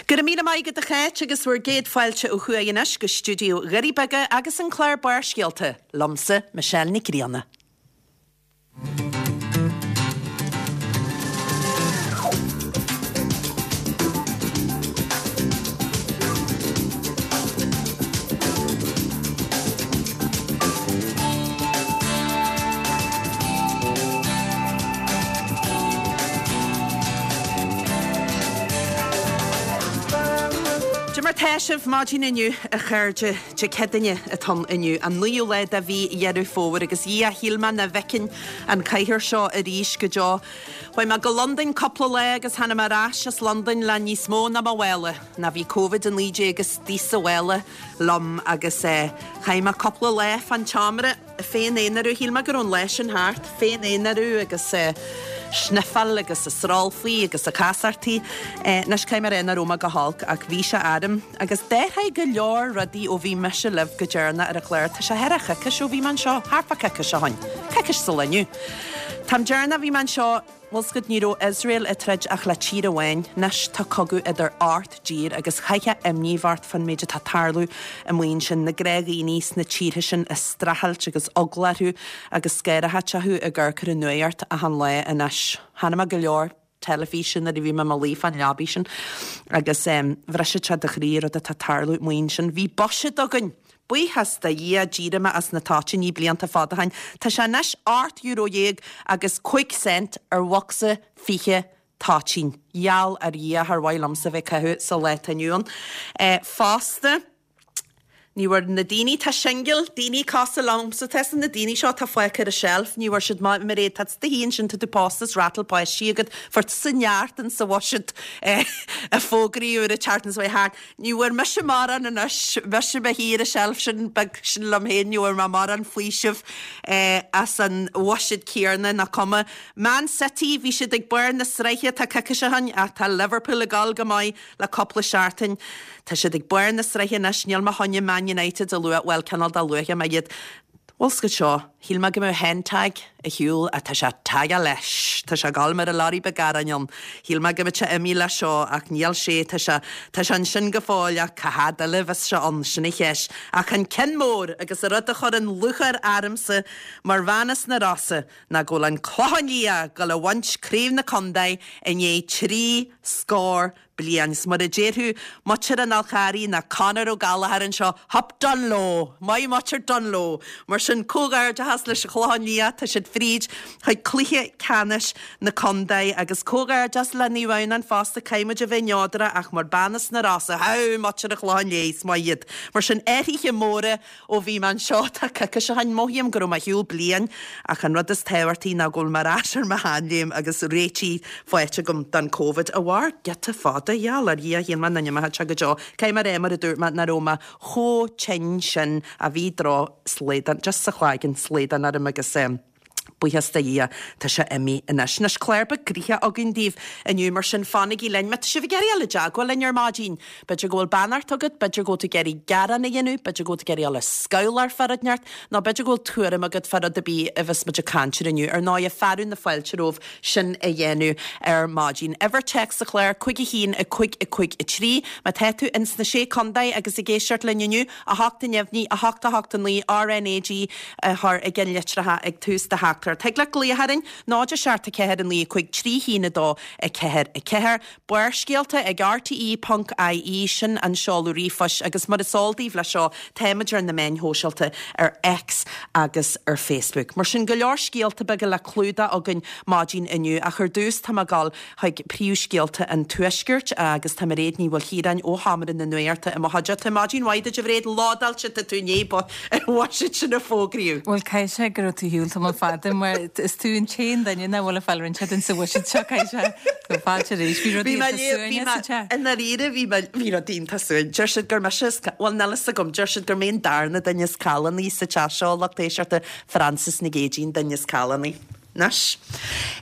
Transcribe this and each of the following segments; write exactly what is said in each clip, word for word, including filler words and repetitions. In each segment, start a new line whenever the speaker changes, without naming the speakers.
Go raibh míle maith agat a Cháit agus bhur gcéad fáilte ó thuaidh anois go stiúideo Dhoirí Beaga agus an clár Barrscéalta, liomsa, Michelle Nic Grianna. Cad é mar tá sibh maidin inniu, a chairde? Dé Céadaoine atá ann inniu, an naoú lá de mhí Dheireadh Fómhair, agus a Dhia, shíl mé nach bhfeicfinn an chathair seo arís go deo. Chuaigh mé go Londain cúpla lá agus tháinig mé ar ais as Londain le níos mó ná mo mhála, ná bhí Covid a naoi déag istigh sa mhála liom agus chaith mé cúpla lá fán tseomra féin-aonarú, shíl mé go raibh an lá sin thart, féin-aonarú agus sniffáil agus ag srólfaí agus ag casartaí. Anois caithfidh mé a rá nach raibh mé go holc ach bhí sé orm agus d'athraigh go leor rudaí ó bhí mise libh go deireanach ar an chlár. Tá sé thar a choicís ó bhí mé anseo, thart fá coicís ó shoin, coicís sa lá inniu. T-am deireanach a bhí mé anseo, bhfuil 's agat, ní raibh Iosrael ag troid ach le tír amháin. Anois tá cogadh idir ocht dtír agus chaithfeá imní a bheith ort fán méid atá ag tarlú amuigh ansin, na gnáthdhaoine sna tíortha sin ag streachailt agus eagla orthu agus scanraitheacht acu ag amharc ar an nuacht achan lá anois. Chonaic mé go leor teilifíse nuair a bhí mé i mo luí fán leabaidh sin agus bhrisfeadh sé do chroí an rud atá ag tarlú amuigh ansin. Bhí buiséad againn! Buíochas do Dhia, d'éirigh mé as na toitíní blianta fada ó shin. Tá sé anois ocht euro dhéag agus cúig cent ar bhocsa fiche toitín. Gheall ar Dhia, char mhaith liomsa bheith ag caitheamh sa lá atá inniu ann. Fosta, ní bhfuair na daoine atá singil, daoine cosúil liomsa, tá na daoine seo atá fágtha ar an tseilf, ní bhfuair siad maith, Mairéad, tá tú féin ansin, tá tú pósta is rattle páistí agat, fuair tusa neart in sa bhuiséad a fógraíodh ar an tseachtain seo thart. Ní bhfuair mise mórán anois, mise i mo shuí ar an tseilf sin beag sin liom féin, ní bhfuair mé mórán faoisimh as an bhuiséad céarna, nach cuma. Man City, bhí siad ag barr na sraithe, tá coicís ó shin, ach tá Liverpool ag dul go maith le cúpla seachtain. Tá siad ag barr na sraithe anois, níl mé chun Man United a lua, bhuel, cineál de luafaidh mé iad. Bhfuil 's agat seo, shíl mé go mbeadh hen tag ar shiúl ach tá sé tagtha leis. Tá sé ag dul mar an lorry beag aráin ann. Shíl mé go mbeadh sé imithe leis seo ach níl sé, tá sé, tá sé ansin go fóill ach cá fhad eile a bheas sé ann, sin an cheist. Ach an ceann mór agus an rud a chuireann lúcháir ormsa mar bhean as na Rosa ná go bhfuil an Clochán Liath ag dul a bhaint Craobh na Contae i ndiaidh trí scór bliain. 'S mar a déarfadh muintir an Fhál Charraigh ná Conor Ó Gallchóir anseo, hup done leo! Maith muintir done leo! Mar sin, comhghairdeachas leis an Chlochán Liath, tá siad fríd chuig cluiche ceannais na contae agus comhghairdeas le Naomh Adhamhnáin fosta, caithfidh muid a bheith neodrach ach mar bean as na Rosa, howw muintir an Chlocháin Léith, is maith iad. Mar sin, athruithe móra Ó bhí mé anseo tá coicís ó shin, mothaím go raibh mé ar shiúl bliain ach an rud is tábhachtaí ná go bhfuil mé ar ais ar mo sheanléim agus réitithe faighte agam don Covid a mhair giota fada, gheall ar Dhia, shíl mé nach n-imeodh sé go deo. Caithfidh mé a rá mar a dúirt mé nach raibh mé chomh tinn sin ach bhí droch-slaghdán, just sa chloigeann, slaghdán orm agus eh, Buíochas do Dhia, tá sé imithe anois. Anois, clár beag gnoitheach againn daoibh inniu, mar sin fanaigí linn. Má tá sibh ag iarraidh dul i dteagmháil linn ar maidin, b'fhéidir go bhfuil beannacht agat, b'fhéidir go bhfuil tú ag iarraidh gearán a dhéanamh, b'fhéidir go bhfuil tú ag iarraidh dul ag scabhláil fá rud inteacht, nó b'fhéidir go bhfuil tuairim agat fá rud ar bith a bheas muid ag caint air inniu. Ar ndóighe, fearadh na fáilte romhaibh sin a dhéanamh ar maidin. Uimhir téacs sa chlár, cúig a haon, a cúig, a cúig, a trí. Má tá tú ins na Sé Contae agus ag éisteacht linn inniu, a hocht a neamhní, a hocht a hocht a naoi, RnaG a chur i gceannlitreacha ag tús do theachtaireacht. Thig leat glaoch orainn, náid a seacht a ceathair a naoi a cúig trí haon a dó a ceathair a ceathair. Barrscéalta ag rte ponc ie, sin an seoladh ríomhphoist agus mar is eol daoibh leis seo, táimid ar na meáin shóisialta ar X agus ar Facebook. Mar sin, go leor scéalta beaga le clúdach againn maidin inniu ach ar dtús tá mé ag dul chuig príomhscéalta an Tuaiscirt agus tá Mairéad Ní Mhaoilchiaráin ó Sheomra na Nuachta i mo chuideachta. Maidin mhaith duit a Mhairéad, lódáilte tá tú i ndiaidh an bhuiséid sin a fógraíodh.
Bhuel, caithfidh sé go raibh tú ar shiúl tamall fada mar is tú an t-aon duine nach bhfuil ag fáil rud inteacht sa bhuiséad seo, caithfidh sé go fáilte arís. Bhí rudaí iontach suain sa teach.
I ndáiríre bhí mé, bhí rudaí iontach suain. Deir siad gur mise is, bhuel níl fhios agam, deir siad gur mé an darna duine is callánaí sa teach seo, lucht éisteachta, Frances Nic Géadaigh an duine is callánaí. Anois,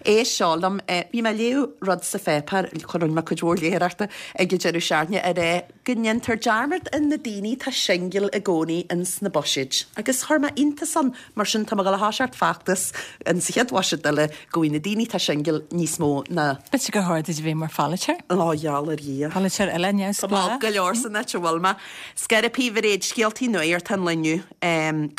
éist seo liom, bhí mé ag léamh rud sa pháipéar, rinne mé cuid mhór léitheoireachta ag an deireadh seachtaine, ar é go ndéantar dearmad ar na daoine atá singil i gcónaí ins na buiséid. Agus chuir mé iontas ann, mar sin tá mé ag dul a thoiseacht feachtas in sa chéad bhuiséad eile go bhfaighidh na daoine atá singil níos mó ná.
B'fhéidir gur chóir duit a bheith mar pholaiteoir?
Ó, gheall ar Dhia.
Polaiteoir eile
neamhspleách. Tá mé olc go leor san áit a bhfuil mé. Scairpí Mhairéad, scéaltaí nuachta an lae inniu,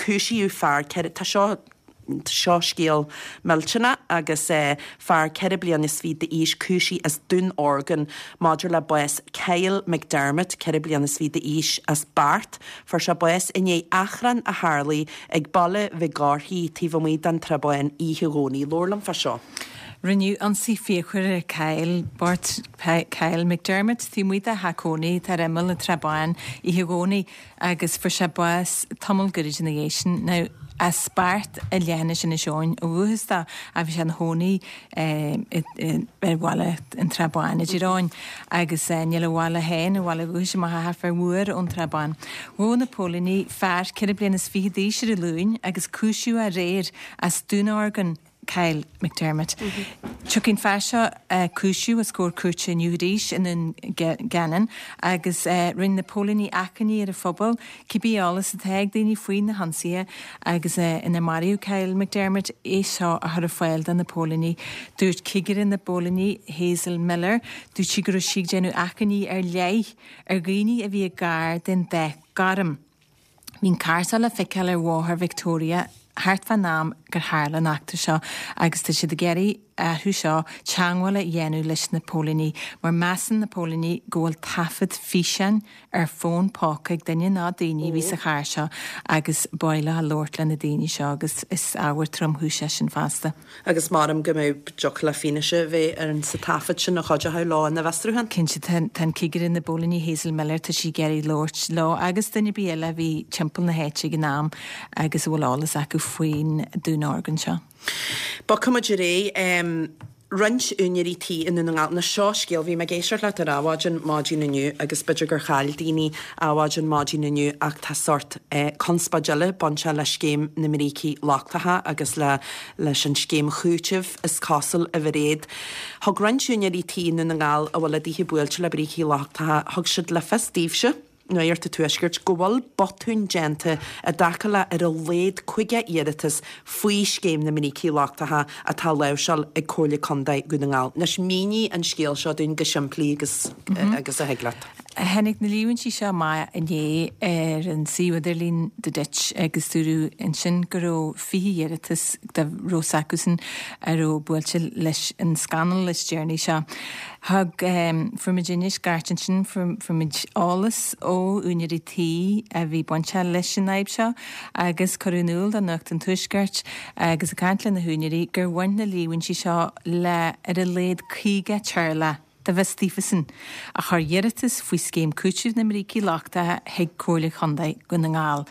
cúisíodh fear ceithre, tá seo Seo scéal millteanach agus fear ceithre bliana is fiche d'aois cúisithe as Dún Orgán maidir le bás Kyle McDermott, ceithre bliana is fiche d'aois, as Beart. Fuair sé bás i ndiaidh achrann a tharlaigh ag Baile Mhic Gárthaigh taobh amuigh den Trá Bháin oíche Dhomhnaigh. Labhair liom fá seo.
Rinneadh ionsaí fíochmhar ar Kyle bocht Kyle McDermott taobh amuigh dá theach cónaí atá ar imeall na Trá Báine oíche Dhomhnaigh agus fuair sé bás tamall gairid ina dhiaidh sin. Now, as Beart i leithinis Inis Eoghain ó dhúchas dó ach bhí sé ina chónaí ar bhaile an Trá Báin i dTír Eoghain agus níl a bhaile féin, a bhaile dúchais amach ach thart fá uair ón Trá Báin. Ghabh na póilíní fear ceithre bliana is fiche d'aois ar an Luan agus cúisíodh é aréir as dúnorgain Kyle McDermott. Tiocfaidh an fear seo a cúisíodh os comhair cúirte inniu arís i nDún Geanainn agus rinne na póilíní achainí ar an phobal cibé eolas atá ag daoine faoi na hionsaithe agus inar maraíodh Kyle McDermott é seo a chur ar fáil do na póilíní. Dúirt cigire na bpóilíní Hazel Miller, dúirt sí go raibh sí ag déanamh achainí ar leith ar dhaoine a bhí gar den dath gorm. Bhí an carr seo le feiceáil ar bhóthar Victoria thart fán am gur tharla an eachtra seo agus tá siad ag iarraidh orthu seo teagmháil a dhéanamh leis na póilíní mar measann na póilíní go bhfuil taifead físeáin ar fón póca ag duine nó daoine a bhí sa charr seo agus ba mhaith leo labhairt le na daoine seo agus is ábhar tromchúise é sin fosta.
Agus maram go mbeadh dtiocfadh le fianaise a bheith ar sa taifead sin a chuideochadh leo ina bhfiosrúchán.
Cinnte, tá an cigire na bpóilíní Hazel Miller, tá sí ag iarraidh labhairt leo agus duine ar bith eile a bhí timpeall na háite ag an am agus a bhfuil eolas acu faoin dúnorgain seo.
Bogfaidh muid ar aghaidh. Roinnt úinéirí tí i nDún na nGall. Anois seo scéal, bhí mé ag éisteacht leat ar Adhmhaidin maidin inniu agus b'fhéidir gur chaill daoine Adhmhaidin maidin inniu ach tá sórt conspóid eile bainteach le scéim na mbrící lochtacha agus le leis an scéim chúitimh is cosúil a Mhairéad. Thug roinnt úinéirí tí i nDún na nGall a bhfuil a dtithe buailte le brící lochtacha, thug siad le fios daoibhse, Nuacht an Tuaiscirt, go bhfuil botúin déanta i dtaca le ar a laghad caoga iarratas faoi Scéim na mBrící Lochtacha atá á láimhseáil ag Comhairle Contae Dhún na nGall. Anois mínigh an scéal seo dúinn go simplí agus agus a thig leat.
Tháinig na líomhaintí seo amach inné ar an suíomh idirlín The Ditch agus dúradh ansin go raibh fiche iarratas dá raibh s'acusan a raibh buailte leis an scannal is deireanaí seo. Thug, fuair muid scairt ansin, fuair muid eolas ó úinéirí tí a bhí bainteach leis an fhadhb seo agus cuireadh in iúl do Nuacht an Tuaiscirt agus ag caint le na húinéirí gur bhain na líomhaintí seo le ar a laghad caoga teaghlach dá bhfios daofasan a chuir iarratas faoi Scéim Cúitimh na mBrící Lochtacha chuig Comhairle Chontae Dhún na nGall.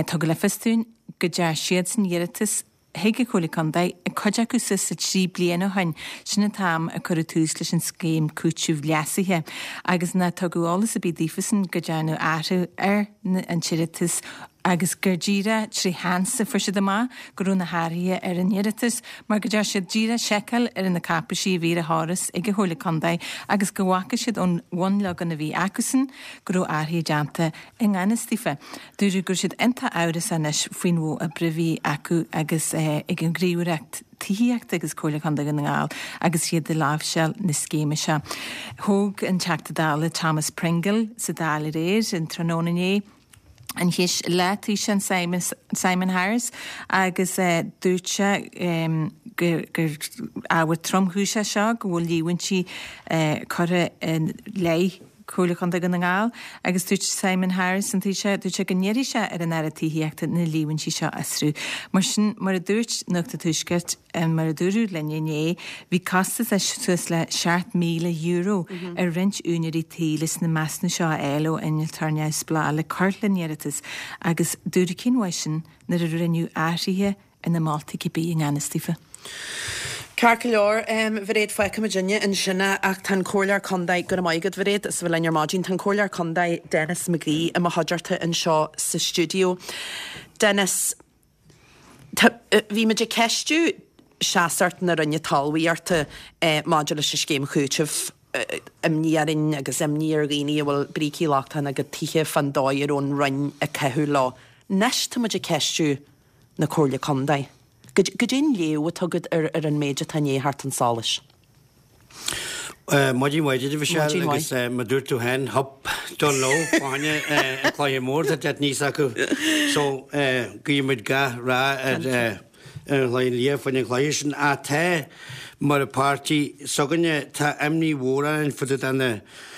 Tugadh le fios dúinn go dtearn siadsan iarratas chuig an Chomhairle Contae, cuid acu suas le trí bliana ó shin, sin an t-am a cuireadh tús leis an scéim cúitimh leasaithe, agus nár tugadh eolas ar bith daofasan go dtearnadh athrú ar an t-iarratas agus gur díreach tré sheans a fuair siad amach go raibh na hathruithe ar an iarratas mar go dtearn siad díreach seiceáil ar na cáipeisí a bhí ar an chóras ag an Chomhairle Contae agus go bhfaca siad ón bhunleagan a bhí acusan go raibh athruithe déanta i ngan fhios daofa. Dúradh go raibh siad iontach amhrasach anois faoin mhodh oibre a bhí acu agus ag an nGníomhaireacht Tithíochta agus Comhairle Contae Dhún na nGall agus iad ag láimhseáil na scéime seo. Thóg an Teachta Dála Thomas Pringle sa Dáil aréir, an tráthnóna inné, an cheist le Taoiseach Simon Harris agus dúirt sé gur ábhar tromchúise é seo go bhfuil líomhaintí curtha i leith Chomhairle Chontae Dhún na nGall agus dúirt Simon Harris, an Taoiseach, dúirt sé go n-iarrfaidh sé ar an Aire Tithíochta na líomhaintí seo a fhiosrú. Mar sin, mar a dúirt Nuacht an Tuaiscirt, mar a dúradh linn inné, bhí costas suas le seacht míle euro ar roinnt úinéirí tí leis na measúnú seo a fháil ó innealtóir neamhspleách le cur lena n-iarratas agus dúradh cén mhaith sin nuair a rinneadh athruithe ar na moltaí cibé i ngan fhios daofa.
Ceart go leor, a Mhairéad, fágfaidh muidinne ansin é ach tá an Comhairleoir Contae, go raibh maith agat Mhairéad, as a bheith linn ar maidin, tá an Comhairleoir Contae Denis McGee i mo chuideachta anseo sa stiúideo. Denis, tá, bhí muid ag ceistiú seasacht na Roinne Talmhaíochta maidir leis an scéim chúitimh, imní orainn agus imní ar dhaoine a bhfuil brící lochtacha ina gcuid tithe fán dóigh a raibh an Roinn ag caitheamh leo. Anois tá muid ag ceistiú na Comhairle Contae. Goidé an léamh atá agat ar ar an méid atá i ndiaidh theacht chun solais?
Maidin mhaith duit, a Mhichelle, agus mar dúirt tú féin, hup, done leo, fá choinne an Cloiche Mór, tá deich níos acu. So, guímid gach rath ar an Chloicheann Liath fá choinne an chluiche sin. Ach tá, mar páirtí s'againne, tá imní mhór orainn fá dtaobh de na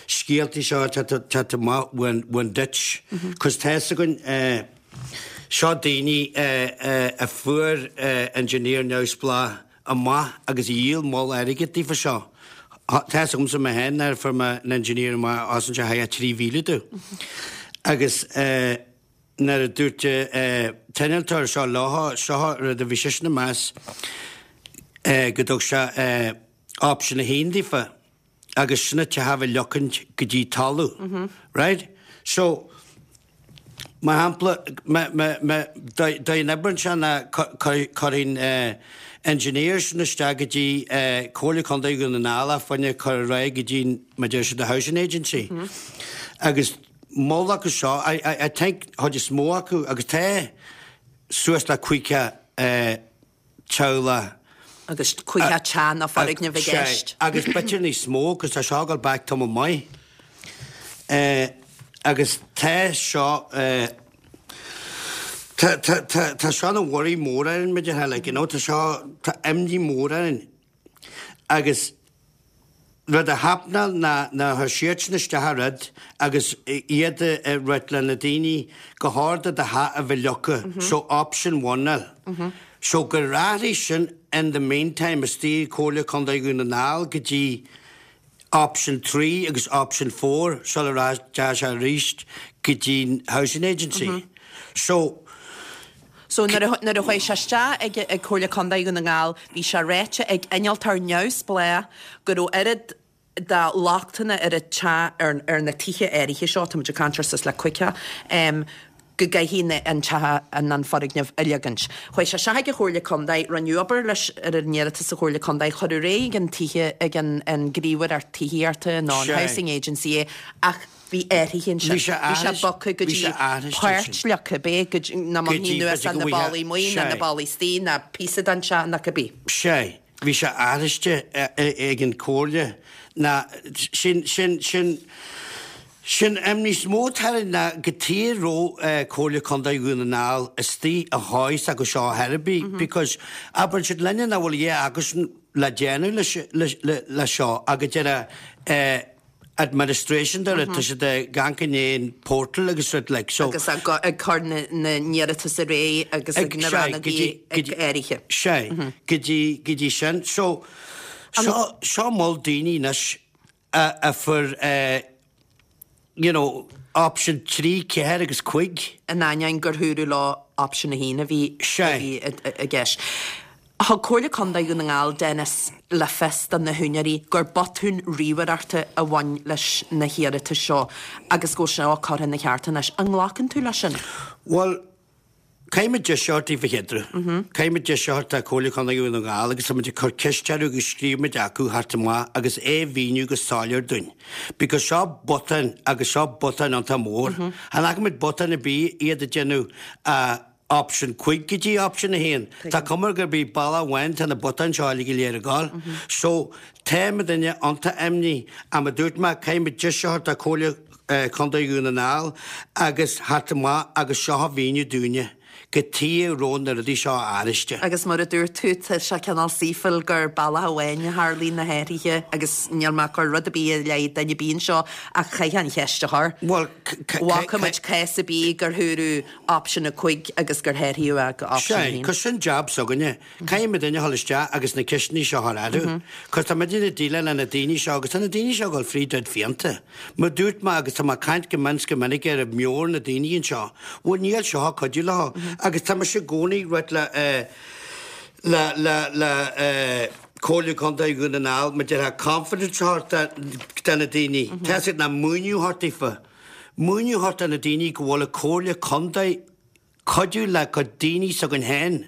scéaltaí seo atá ag teacht amach ón Ditch. Cos tá 'fhios againn, seo daoine a fuair engineer neamhspleách amach agus a dhíol moll airgid daofa seo. Tá 'fhios agamsa mé féin nuair a fuair mé an engineer amach as an teach trí mhíle domh. Agus nuair a dúirt an t-innealtóir seo leo, seo rud a bhí seisean ag meas go dtug sé option a haon daofa agus sin an teach a bheith leocaint go dtí talamh. Right? So, Mar shampla, dá n-oibreann sé ná cuirfinn engineers isteach go dtí Comhairle Contae Dhún na nGall fá choinne cur ar aghaidh go dtí mar deir siad the housing agency. Agus moll acu seo, I think chuid is mó acu agus tá suas le caoga teaghlach.
Agus caoga teach nó foirgneamh i gceist.
Agus b'fhéidir níos mó, cos tá seo ag dul back tamall maith. Agus tá seo, tá, tá, tá, tá seo ina worry mór orainn, mar a déarfá, like, you know, tá seo, tá imní mhór orainn. Agus rud a happenáil ná, ná chuir siadsan isteach an rud agus iad ag ráit le na daoine go chóir do do theach a bheith leagtha, so option one eil. So gur athraigh sin in the meantime istigh i Comhairle Contae Dhún na nGall go dtí Option three agus Option four sula rachaidh sé arís go dtí'n Housing Agency. So.
So nuair a nuair a chuaigh sé isteach ag ag Comhairle Contae Dhún na nGall bhí sé ráite ag innealtóir neamhspleách go raibh oiread de lochtanna ar an teach ar ar na tithe áirithe seo, tá muid ag caint ar suas le caoga, go gcaithfidh an teach an an foirgneamh a leagaint. Chuaigh sé isteach ag an Chomhairle Contae, rinneadh obair leis ar an iarratas sa Chomhairle Contae, cuireadh ar aghaidh ag an tithe ag an an Gníomhaireacht Tithíochta nó an Housing Agency é ach bhí athraithe ansin. Bhí sé bogtha go dtí páirt leagtha, b'é go dtí na mbainfí anuas na ballaí amuigh nó na ballaí istigh nó píosa den teach nó cibé.
Sea. Bhí sé aithriste ag an Chomhairle ná sin sin sin Sin imní is mó atá orainn ná cad chuige a raibh Comhairle Contae Dhún na nGall istigh a dhóigh s'acu seo ar chor ar bith because abrainnn siad linne nach bhfuil a dhath acusan le déanamh leis seo ach go deireadh administration de rud tá siad ag amharc i ndiaidh an portal agus rud like so.
Agus ag cur na n-iarratas ar aghaidh agus ag na rannógaí áirithe.
Sea, go dtí go dtí sin. So seo seo moll daoine anois a fuair you know, option trí, ceathair agus cúig.
In ainneoin gur dúradh leo option a haon a bhí i gceist. Thug Comhairle Contae Dhún na nGall, Denis, le fios do na húinéirí gur botún ríomhaireachta a bhain leis na hiarratais seo agus go bhfuil seo curtha ina cheart anois. An nglacann tú leis sin?
Bhuel, Caithfidh muid deis a thabhairt daofa chéad uair. Caithfidh muid deis a thabhairt do Chomhairle Contae Dhún na nGall agus tá muid ag cur ceist orthu agus scríobh muid acu theacht amach agus é a mhíniú go soiléir dúinn. Because seo botán agus seo botán iontach mór. Chan fhaca muid botán ar bith iad ag déanamh option cúig go dtí option a haon. Tá cuma gurb í bealach amháin tá na botáin seo uilig go léir ag gabháil. So tá muidinne iontach imní ach mar dúirt mé caithfidh muid deis a thabhairt do Chomhairle Contae Dhún na nGall agus theacht amach agus seo a mhíniú dúinne, cad chuige a raibh na rudaí seo aithriste.
Agus mar a dúirt tú, tá sé cineál saoithiúil gur bealach amháin a tharlaíonn na hathruithe agus níl mé ag cur rud ar bith i leith duine ar bith anseo ach chaithfeá an cheist a chur.
Bhuel,
Bhfaca muid cás ar bith gur dúradh option a cúig agus gur hathraíodh é go option a
Sea,
haon.
cos sin jab s'againne. Caithfidh muidinne a dhul isteach agus na ceisteanna seo a chur orthu. Cos tá muidinne ag déileáil le na daoine seo agus tá na daoine seo ag dul fríd rud fiánta. Mar dúirt mé agus tá mé ag caint go mion 's go minic ar meabhair na daoine anseo, bhuel níl seo ag cuidiú leo. Agus tá mise i gcónaí ag ráit le le le le Comhairle Contae Dhún na nGall mar déarfá confidence a thabhairt do na daoine. Tá siad ná múineadh a thabhairt daofa. Múineadh a thabhairt do na daoine go bhfuil an Comhairle Contae cuidiú le cuid daoine s'againn féin.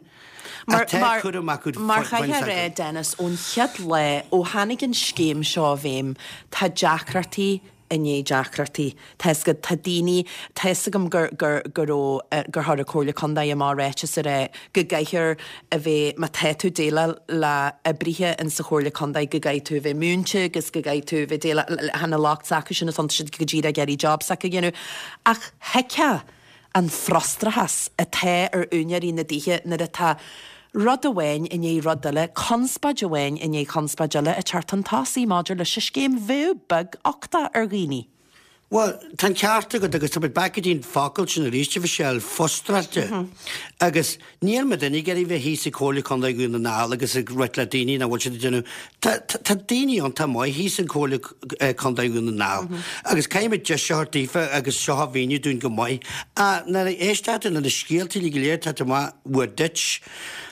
Tá cúram acu.
Mar chaithfear a rá, Dennis, ón chéad lá ó tháinig an scéim seo i bhfeidhm, tá deacrachtaí i ndiaidh deacrachtaí. Tá fhios agat, tá daoine, tá fhios agam gur, gur, go raibh, gur chuir an Comhairle Contae amach ráiteas a rá go gcaithfear a bheith, má tá tú ag déileáil le oibrithe in sa Chomhairle Contae, go gcaithfidh tú a bheith múinte agus go gcaithfidh tú a bheith déileáil le na lucht s'acu sin, is iontu siad go díreach ag iarraidh job s'acu a dhéanamh. Ach thuigfeá an frustrachas atá ar úinéirí na dtithe nuair atá rud amháin i ndiaidh rud eile, conspóid amháin i ndiaidh conspóid eile ag teacht chun tosaigh maidir leis an scéim. Bheadh beag-uchtach ar dhaoine.
Bhuel, tá an ceart agat agus tá muid back go dtí an focal sin arís, a Mhichelle, fustráilte. Agus níl muidinne ag iarraidh bheith thíos ag Comhairle Contae Dhún na nGall agus ag rith le daoine nach bhfuil siad ag déanamh. Tá, tá, tá daoine iontach maith thíos in Comhairle Contae Dhún na nGall. Agus caithfidh muid deis a thabhairt daofa agus seo a mhíniú dúinn go maith. Ach nuair a éistear tú lena scéalta uilig go léir atá amach uaidh duit,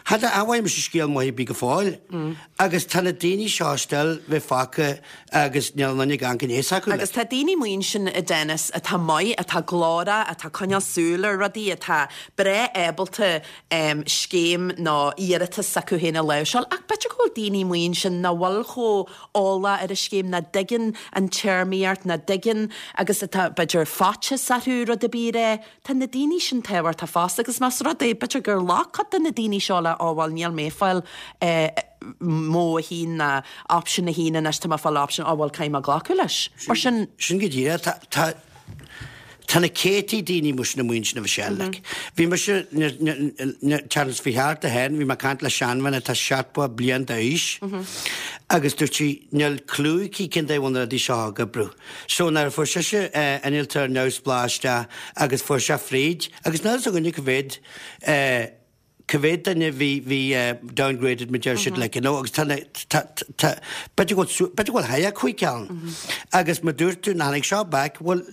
cha bhfaighidh mise scéal maith ar bith go fóill. Agus tá na daoine seo still bheith fágtha agus níl aon duine ag amharc aníos acu.
Agus tá daoine amuigh ansin, a Dennis, atá maith, atá glórach, atá coinneáil súil ar rudaí, atá breá ábalta scéim nó iarratas s'acu féin a láimhseáil, ach b'fhéidir go bhfuil daoine amuigh ansin nach bhfuil chomh eolach ar an scéim, nach dtuigeann an téarmaíocht, nach dtuigeann agus atá, b'fhéidir, faitíos orthu rud ar bith a rá. Tá na daoine sin tábhachtach fosta agus más rud é, b'fhéidir gur ghlac cuid de na daoine seo le, ó bhuel níl mé ag fáil modh a haon ná option a haon anois, tá mé ag fáil option, ó bhuel caithfidh mé glacadh leis. Mar sin.
Sin go díreach. Tá, tá, tá na céadtaí daoine amuigh sin amuigh ansin a Mhichelle, like. Bhí mise, seachtain seo chuaigh thart féin, bhí mé ag caint le seanbhean atá seachtó bliain d'aois agus dúirt sí, níl clue aici cén dóigh a bhfuil na rudaí seo ag oibriú. So nuair a fuair sise innealtóir neamhspleách isteach agus fuair sé fríd, agus níl fhios againne cá mhéad, cá mhéad duine bhí, bhí downgraded mar deir siad like, you know, agus tá na, tá, tá, b'fhéidir go bhfuil, b'fhéidir go bhfuil thar cúig ceann. Agus má dúirt tú, ná tháinig seo back, bhuel,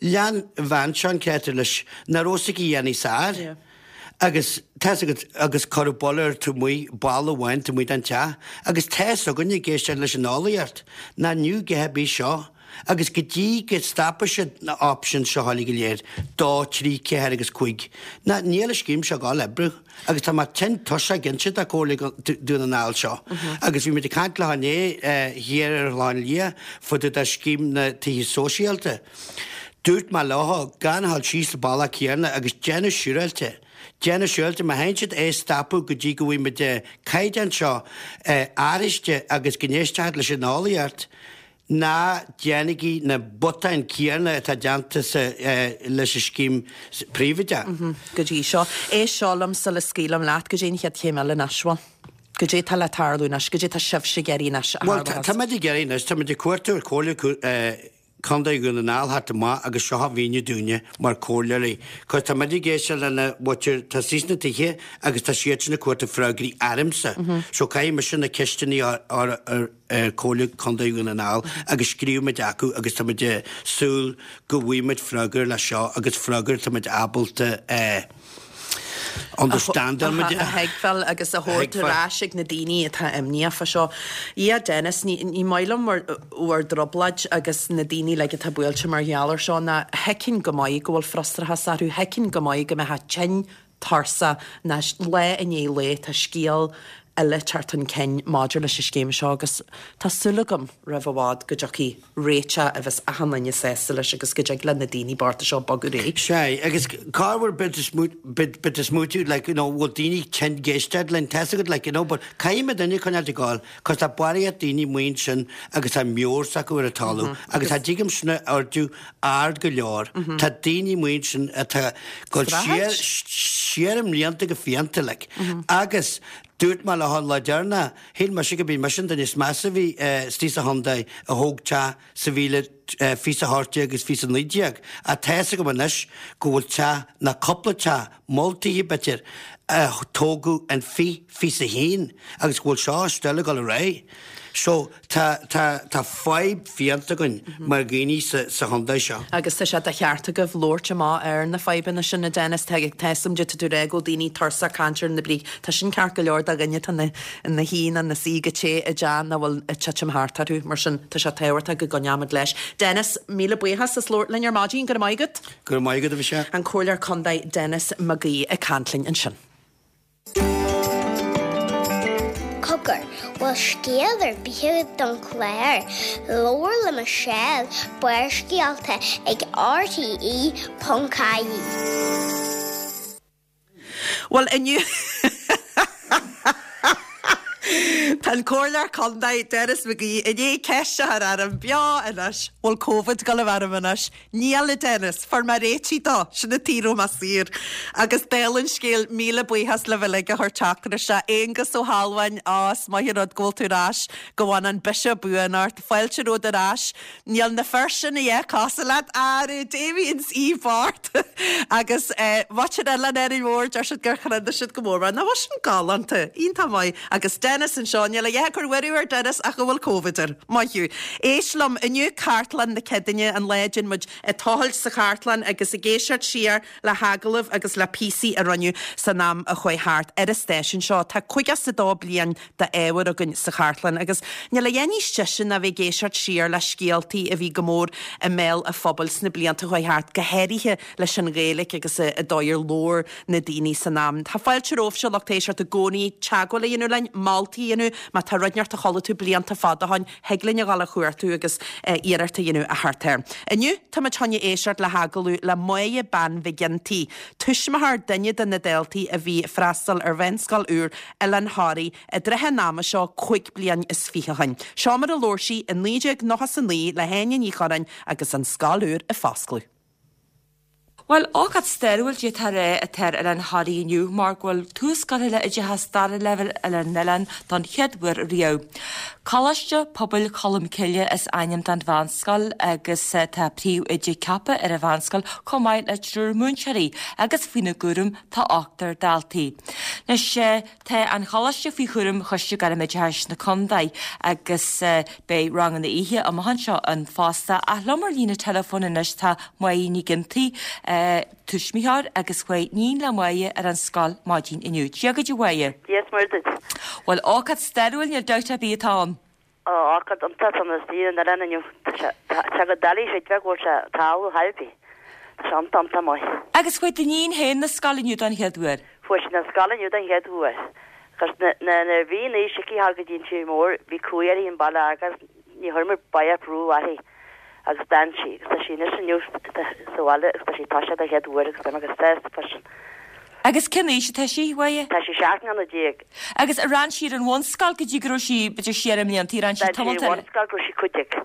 lean an bhean seo an créatúr leis, nach raibh fhios aici a dhéanamh sár. Agus tá fhios agat, agus cuireadh buille ar taobh amuigh, balla amháin taobh amuigh den teach, agus tá fhios againne ag éisteacht leis an eolaíocht, nach inniu go ar bith seo, agus go dtí go stopfaidh siad na options seo uilig go léir, dó, trí, ceathair agus cúig, ná níl an scéim seo ag dul oibriú. Agus tá mé tinn tuirseach ag inse do Chomhairle Dún na nGall seo. Agus bhí muid ag caint leo inné thiar ar an Chlochán Liath fá dtaobh de scéim na tithe sóisialta. Dúirt mé leo gan a dhul síos an bealach céanna agus déanamh siúráilte, déanamh siúráilte, má théann siad é a stopadh go dtí go bhfaighidh muid an caighdeán seo athraiste agus go n-éistfead leis an eolaíocht, Ná déanaigí na botúin céanna atá déanta leis an scéim príobháideach.
Go dtí seo. Éist seo liom sula scaoilim leat. Goidé an chéad chéim eile anois, bhuel? Goidé tá le tarlú anois? Goidé tá sibhse ag iarraidh anois a
Bhuel,
tharlódh?
tá muid ag iarraidh anois, tá muid ag cuartú ar Chomhairle Contae Dhún na nGall theacht amach agus seo a mhíniú dúinne mar chomhairleoirí. Cos tá muid ag éisteacht lena mhuintir, tá suas sna tithe agus tá siadsan ag cuartú freagraí ormsa. So caithfidh mise na ceisteanna a chur ar ar Chomhairle Contae Dhún na nGall agus scríobh muid acu agus tá muid ag súil go bhfaighidh muid freagra leis seo agus freagra tá muid ábalta a understandáil muid
a thuigbheáil agus a thabhairt ar ais ag na daoine atá imníoch fá seo. Yeah Dennis, ní ní maith liom bhur bhur dtrioblóid agus na daoine uilig atá buailte mar gheall ar seo ná thuigfinn go maith go bhfuil frustrachas orthu, thuigfinn go maith go mbeifeá tinn tuirseach anois lá i ndiaidh lae tá scéal eile ag teacht chun cinn maidir leis an scéim seo agus tá súil agam roimh i bhfad go dtiocfaidh réiteach a bheas achan duine sásta leis agus go dtig le na daoine bochta seo bogadh ar aghaidh.
Sea, agus corruair bit is smaoitiú, like, you know, bhfuil daoine tinn ag éisteacht linn, tá's agat, like, you know, but caithfidh muid duine coinneáilt ag gabháil, cos tá barraíocht daoine amuigh ansin agus tá meabhair s'acu ar an talamh agus cha dtig liom sin a ardú ard go leor, tá daoine amuigh ansin atá ag dul siar, siar i mblianta go fiánta, like, agus Dúirt mé leo an lá deireanach, shíl mise go b'í mise an duine is measa a bhí istigh sa chontae a thóg teach sa mhíle fiche a hocht déag agus fiche a naoi déag, ach tá fhios agam anois go bhfuil teach, nó cúpla teach, moll tithe b'fhéidir, a tógadh in fiche fiche a haon agus go bhfuil seo still ag dul ar aghaidh. So, tá, tá, tá fadhb fiánta againn mar dhaoine sa, sa chontae seo.
Agus tá sé de cheart agaibh labhairt amach ar na fadhbanna sin, a Dennis. Tá, tá fhios agam tá tú ag rá go bhfuil daoine tuirseach caint ar na brí. Tá sin ceart go leor do dhuine atá ina, ina shuí nó ina suí go te i dteach nach bhfuil ag titim thart orthu. Mar sin, tá sé tábhachtach go gcoinneoimid leis. Dennis, míle buíochas as labhairt linn ar maidin. Go raibh maith agat.
Go raibh maith agat, a Mhichelle.
An Comhairleoir Contae Denis Mag Aoidh ag caint linn ansin.
Bhfuil scéal ar bith agat don chlár? Labhair le Michelle Barrscéalta ag RTE ponc ie.
Well inniu Tá an Comhairleoir Contae Denis McGee i ndiaidh ceist a chur orm beo anois bhfuil Covid ag gabháil orm anois. Níl a Dennis, fuair mé réitithe dó sin an taobh raibh mé saor. Agus dála an scéil míle buíochas libh uilig a chuir teachtaireacht isteach Aonghus Ó hAlmhain á is maith an rud go bhfuil tú ar ais go bhfanann an biseach buan ort, fáilte romhat ar ais. Níl na fir sin a dhéith cosúil leat arú Damien í Bart agus Muintir Oileán Árainn Mhór deir siad gur chreid siad go mór ná sin galánta iontach maith agus Dennis anseo níl a dhath ag cur buaireamh ar Dennis ach go bhfuil Covid air. Maith thú. Éist liom inniu cartlann na Céadaoine an lá a muid ag tochailt sa chartlann agus ag éisteacht siar le hagallaimh agus le píosaí a rinneadh san am a chuaigh thart ar an stáisiún seo tá caoga is a dó bliain d'ábhar againn sa chartlann agus níl a dhath níos deise ná bheith ag éisteacht siar le scéaltaí a bhí go mór i mbéal an phobail sna blianta a chuaigh thart go háirithe leis an Ghaeilge agus an dóigh ar labhair na daoine san am. Tá fáilte romhaibhse lucht éisteachta i gcónaí teagmháil a dhéanamh linn moltaí a dhéanamh má tá rud inteacht a chuala tú blianta fada ó shin thig linn a ghabháil a chuartú agus iarracht a dhéanamh a theacht air. Inniu táimid chun éisteacht le hagallamh le Máire Bean Mhic Ginty, tuismitheoir duine de na daltaí a bhí freastal ar mheánscoil úr Oileán Thoraí i dtrátha an ama seo cúig bliana is fiche ó shin. Seo mar a labhair sí i naoi déag nócha a naoi le hÁine Ní Churráin agus an scoil úr ag foscladh.
Well ócáid stairiúil atá atá ar Oileán Thoraí inniu mar go bhfuil tús curtha le oideachas dara leibhéal ar an oileán don chéad uair riamh. Coláiste Pobail Cholmcille is ainm don mheánscoil agus tá príomhoide ceaptha ar an mheánscoil chomh maith le triúr múinteoirí agus faoina gcúram tá ochtar daltaí. Anois tá an choláiste faoi chúram Choiste Gairmoideachais na Contae agus beidh ranganna oíche amach anseo ann fosta ach liom ar líne teileafóin anois tá Máire Ní Ginty tuismitheoir agus chuaigh iníon le Máire ar an scoil maidin inniu. Dia duit a Mháire.
Dia is Muire duit.
Well ócáid stairiúil níl dabht ar bith atá ann.
Ócáid iontach an tí an le inniu Tá go dalí sé go sé tá haipí. Tá sé iontach maith.
Agus chuaigh d'iníon féin na scoile inniu don chéad uair.
Fuair na scoil inniu don chéad uair. Cos na na bhí ní sicí ha go dtín tí mór bhí cumhaidh an baile agus ní chuir baie brú uirthi agus d'fhan sí agus tá sí anois inniu sa bhaile agus tá sí tá sé don chéad uair agus tá agus sásta freisin.
Agus cén aois atá sí a Mháire?
Tá sí seacht mbliana déag.
Agus ar fhan sí ar an bhunscoil go dtí go raibh sí b'fhéidir sé mblianta ran sí tamall
Bunscoil go sí cúig déag.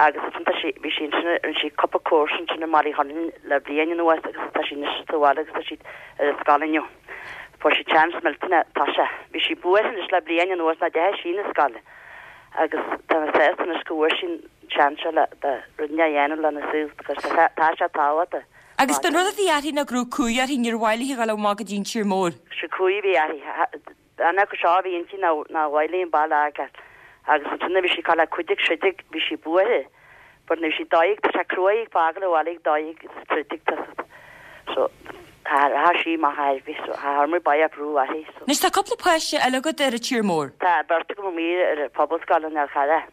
Agus tá sí bhí sí sin sí cúpla cúrsa sin i Marí Hon le bliain anuas agus tá sí anois sa bhaile agus tá sí ar an scoil inniu. Fuair sí chance millteanach tá sé. Bhí sí buartha anois le bliain anuas ná dtéadh sí na scoile. Agus tá sé anois go bhfuair sí chance le rud a dhéanamh lena saol agus tá sé tábhachtach.
Agus den rud a bhí uirthi ná go raibh cumhaidh uirthi níor mhaith léi dul amach go dtí an tír mór.
Sí cumhaidh bhí uirthi anna go seo bhí inti ná ná bhaile an baile agat. Agus ansin bhí sí le cúig déag sé déag bhí sí buartha. But nu sí daig tá sé cruaigh fágáil an bhaile daig tridig so tá sí má bhí so thar ba brú uirthi.
Anois tá cúpla páiste eile agat ar an tír mór.
Tá beirt agam amuigh ar Pobalscoil an Fhál Carrach.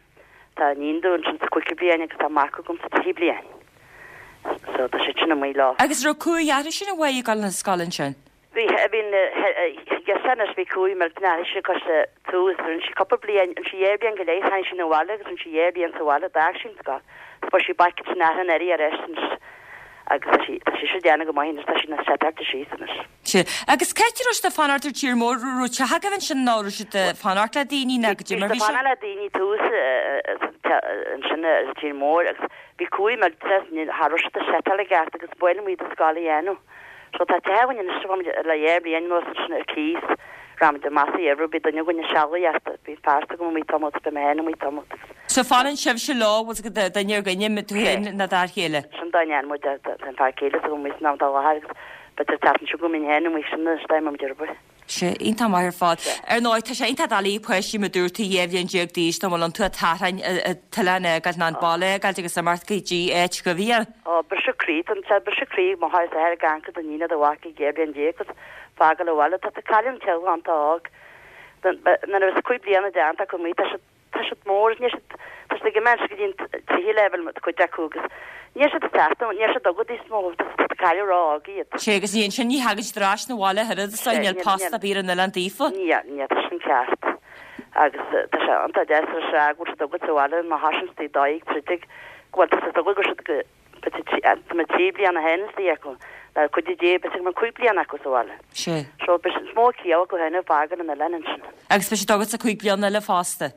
Tá iníon ansin sa cúigiú bliain agus tá mac agam sa tríú bliain. So tá sé sin amuigh leo.
Agus raibh cumhaidh uirthi sin a bhaile gal na scoil ansin.
Bhí bhí gesanas bhí cumhaidh mar na sé cos tús rinne sí cúpla bliain an sí dhá bhliain go leith tháinig sí na bhaile agus an sí dhá bhliain sa bhaile d'fhág sí an scoil. Fuair sí back san an earraí ar sin agus tá sí tá sí déanamh go maith tá sí na seteart sí anois.
Sí. Agus cé raibh siad ag fanacht ar tír mór raibh teach agaibh ansin ná raibh siad ag fanacht le daoine ná go dtí mar bhí
sé. Fanacht le daoine tús ansin ar tír mór agus bhí cumhaidh mar thar siad setal i gceart agus buile muid a scoil a dhéanamh. So tá teach againn anois le dhá bhliain anuas sin ar cíos ramid amach ar bhí duine againn sealbhaíochta bhí fear go mí tamall be mé mí tamall.
So fanann sibhse leo was go duine ar dhuine tú féin ná d'fhear chéile.
Sin duine an muid an fear céile go mí ná dá láthair agus but tá sin go min hen mí sin steim am dearba.
Sé iontach maith ar fad. Ar ndóigh tá sé iontach doiligh páistí mar dúirt tú dhá bhliain déag d'aois nó bhfuil an tú tarraing tuilleadh gal ná an baile gal agus imeacht go dtí áit go bhí.
Ó briseadh croí an sé briseadh croí má tha a gan go nína do bhac dhá bhliain déag agus fágáil an bhaile tá caillim te an tá na is cúig bliana déanta go mí tá tá siad mór ní tá siad ag imeacht go dtí tríú leibhéal cuid acu agus ní siad teacht ní siad agad níos mó tá cailleadh rá iad.
Sé agus ní sin ní thagann siad ar ais na bhaile thuad sa níl post ar bith ar an oileán daofa?
Ní ní tá sin ceart. Agus tá sé iontach deas a rá go bhfuil siad agat sa bhaile má thosaíonn siad ag dóigh troidigh go bhfuil siad agat go siad go tá mé trí bliana féin istigh acu le cuid de b'fhéidir go mbeidh cúig bliana acu sa bhaile.
Sé.
So beidh is mó ciall acu féin ag fágáil an oileáin ansin.
Agus beidh siad agat sa cúig bliana eile fosta.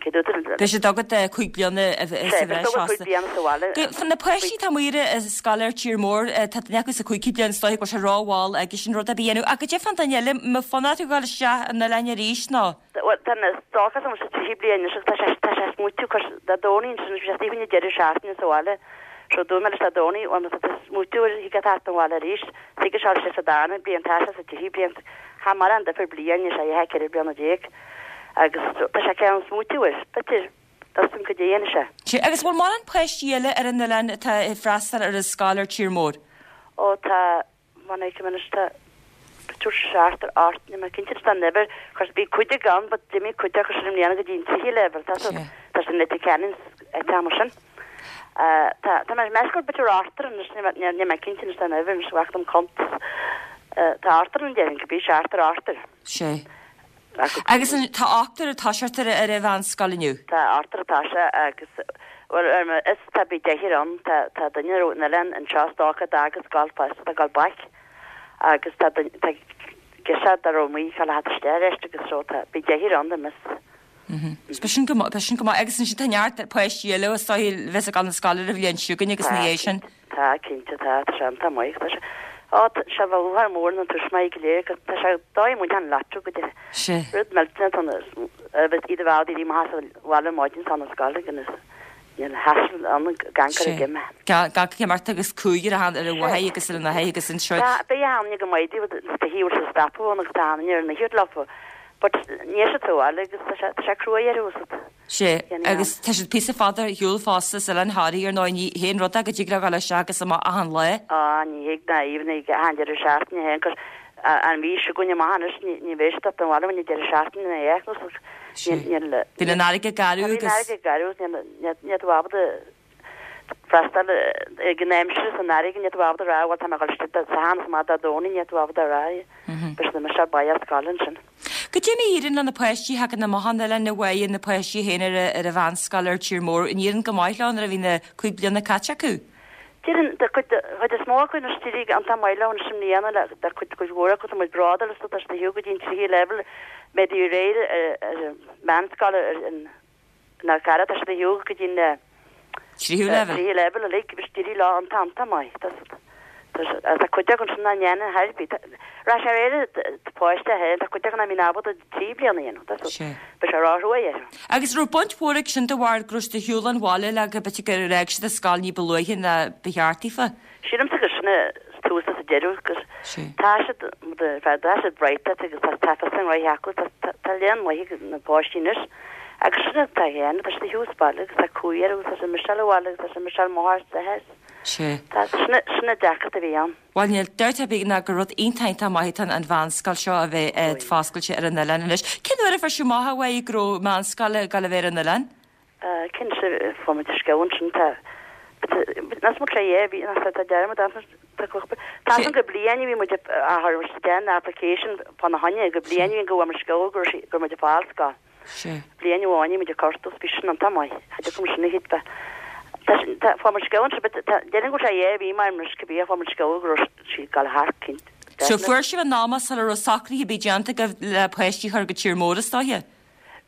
Cé dúirt tú?
Beidh siad agat cúig bliana sa
Sé, beidh
bhreis
siad agat cúig
fosta.
bliana sa bhaile.
Go, na páistí atá amuigh ar an scoil ar tír mór, tá duine acu sa cúigiú bliain is dóiche go bhfuil sé rómhall aige sin rud ar bith a dhéanamh. Ach goidé fán duine eile, an mbeadh fonn orthu dhul isteach an oileáin arís nó?
Bhuel, tá na stocas an sa trí bliana anois tá sé tá sé smaoitiú cos Dé Domhnaigh ansin bhí sé istigh faoin deireadh seachtaine sa bhaile. So dúirt mé leis Dé Domhnaigh bhuel má tá tú smaoitiú ar thig leat theacht an bhaile arís, thig leis sé sa darna bliain tá sé sa tríú bliain. Cha mórán difear bliain is é a ceithre bliana déag. Agus tá sé ceann smaoitiú air. B'fhéidir tá go dtéann sé.
Sé, agus bhfuil mórán páistí eile ar an oileán atá ag freastal ar an scoil ar tír mór?
Ó tá man ag anois tá b'fhéidir seachtar ocht níl mé cinnte tá an uimhir cos bhí cuid ann but d'imigh cuid acu sin i mbliana go dtí an tríú leibhéal tá
Sé.
tá sin Leitir Ceanainn ag t-am sin. Uh, tá tá mé meas gur b'fhéidir ochtar anois níl mé- níl mé cinnte anois tá an uimhir anois bheadh dom cuntas. Uh, tá ochtar an déarfainn go bí seachtar ochtar.
Sé.
Acu-
Agus an- tá ochtar ag toiseacht ar ar an mheánscoil inniu.
Tá ochtar atá sé agus well ar ma is tá bí deichniúr ann tá tá duine ón oileán anseo stoca agus gal fásta tá gal back agus tá duine- tá gise dar ó mí cha leat isteach agus so tá bí deichniúr ann mis.
B'in sin go b'in sin go maith agus ansin tá neart páistí eile is dóiche bheith ag an scoil ar an bhliain seo chugainn agus na dhiaidh sin.
Tá cinnte tá tá sé tá maith tá sé Á sé bh mór na tuismitheoirí go léir tá sé dóigh mu an leatú go dtí
Sé.
rud millteanach tá iad bhá í má bhile maidin tá na scoil agus níl hassle an gan
Sé.
gime.
Ga ga agus cúigear a han ar a bhhaigh agus ar na haigh agus an seo.
Tá be an go maidí de hí sa stapa an agus tá ar na hiúr leofa. But ní sé tú agus tá sé tá sé cruaidh ar úsad.
Sé
Déanfaidh
agus tá siad píosa fada ar shiúl fosta sa an Thoraí ar nó ní haon rud go dtig leo dul isteach agus amach achan lá.
Á ní hiag na even ag han deireadh seachtaine héin cos an mhí seo chugainn amach anois ní ní bheidh siad an bhaile ní deireadh seachtaine na éach
Sé.
níl
Bíonn an fharraige garbh agus
garú ní tú ábalta freastal ag an aimsir san fharraige ní tú ábalta rá bhuel tá mé ag dul sa han má dá dóní ní tú ábalta rá Bes na me se ba scoil sin.
Goidé mar a éiríonn le na páistí thagann amach an oileán na bhhaigh na páistí féin ar ar an mheánscoil ar tír mór an éiríonn go maith leo nuair a bhí na cúig bliana caite acu.
Déarfainn de chuid chuid is mó acu na stíí an tá maile an sin líana le de chuid chuid mhór acu muid bradal is tá sé go dtí trí level met die réir meánscoil an na cara tá sé go dtí na
Tríú level.
trí level like bes dí lá an tam tá mai tá chuid an sin na ndéana herbí Ra sé réir páiste he tá chuid na mí ábalta trí bliana
Sé.
Be sé rá
Agus raibh baint mhór ag sin de bharr go raibh siad ar shiúl an bhaile le go b'fhéidir gur fhág siad an scoil ní ba luaithe ná ba cheart daofa.
Sílim gus sinna tús sa deireadh gus
Sé.
tá siad tá siad bright agus tá tá san ra acu tá léan maith na páistí anois agus sinna tá héan tá sé húsbaile agus tá cuair agus tá sé Michelle bhaile agus tá sé Michelle máir sa hes.
Sé.
Tá sinna sinna deacracht a bhí ann.
Bhuel níl dabht ar bith ná gur rud iontach maith an mheánscoil seo a bheith ag foscailt ar an oileán anois. Cén uair a fuair sibh amach a bhí go raibh meánscoil ag dul a bheith ar an oileán?
Cinn se fá scean sin tá Nas mu é bhí tá dearmad Tá an go blian bhí mu a den application fan na haine go blian go bhfuil scoil gur gur mu fáilscoil.
Sé.
Blian amháin mu cortus bí sin an tamai Ha kom sinna hit be. Fá mar scoil déan go sé é bhí mar mar go bí fá mar scoil gur sí gal harcinn.
So fuair sibh an nama sula raibh socruithe bí déanta go le páistí chur go tír mór is dóiche?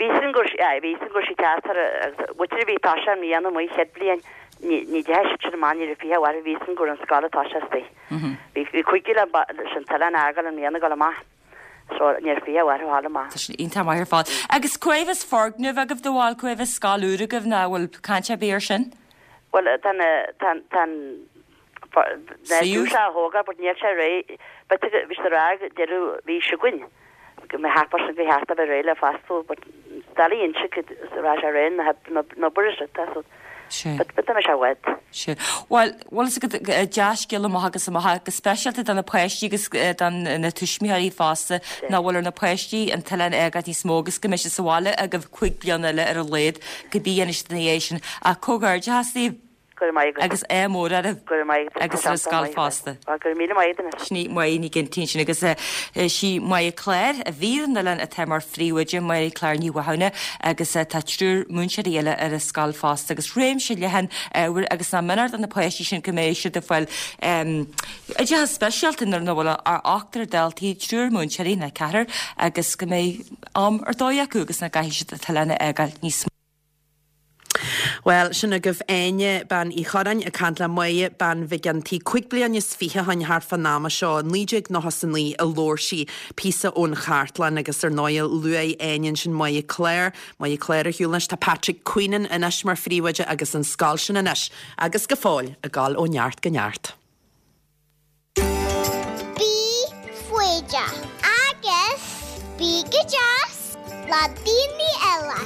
Bhí sin gur bhí sin gur sí teatar bhuitir bhí tá sé mbliana mu chéad bliain ní de sin man ar fi war bhí sin gur an scoil tá sé. Bhí chuige le sin tele agal an mbliana go amach. So níor fi war hála maith.
Tá sin iontach maith ar fad. Agus cuibhas foirgneamh agaibh de bhfuil cuibhas scoil úr agaibh ná bhfuil caint ar bith ar sin?
Well tan tan tan
Suíomh?
sé thóga, but níl sé ré bhí rá deireadh mhí seo chugainn. Go mé hapar go heart a bheith réidh le fastú, but dalí inse rá sé ré na na bur tá so
Sé.
but but tá sé wet.
Sé. Well, well is go deascéal amach agus amach go speisialta do na páistí agus eh, don na tuismitheoirí fosta ná bhfuil ar na páistí an t-oileán a fhágáil níos mó agus go mbeidh siad sa bhaile agaibh cúig bliana eile ar a laghad go bí anois na dhéis sin a comhghairdeas daoibh.
Go raibh maith agat.
Agus ádh mór oraibh.
Go raibh maith agat.
Agus ar an scoil fosta.
Go raibh míle maith agat.
Sin í Máire Ní Ghinty ansin agus sí Máire Clár a bhí ar an oileán atá mar phríomhoide, Máire Clár Ní Mhathúna agus tá triúr múinteoirí eile ar an scoil fosta agus réimse leathan ábhair agus nach méanar do na páistí sin go mbeidh siad ag fáil oideachas speisialta nuair nach bhfuil ach ochtar daltaí, triúr múinteoirí nó ceathrar agus go mbeidh am ar dóigh acu agus nach gcaithfidh siad an t-oileán a fhágáil níos mó.
Bhuel, sin agaibh Áine Bean Uí Chorráin ag caint le Máire Bean Mhig Ginty cúig bliana is fiche ó shin thart fán ama seo, naoi déag nócha is a naoi a labhair sí píosa ón chartlann agus ar ndóigh luaigh Áine ansin Máire Clár, Máire Clár ar shiúl anois, tá Patrick Queenan anois mar phríomhoide agus an scoil sin anois agus go fóill ag gabháil ó neart go neart.
Bí foighdeach agus bí go deas le daoine eile.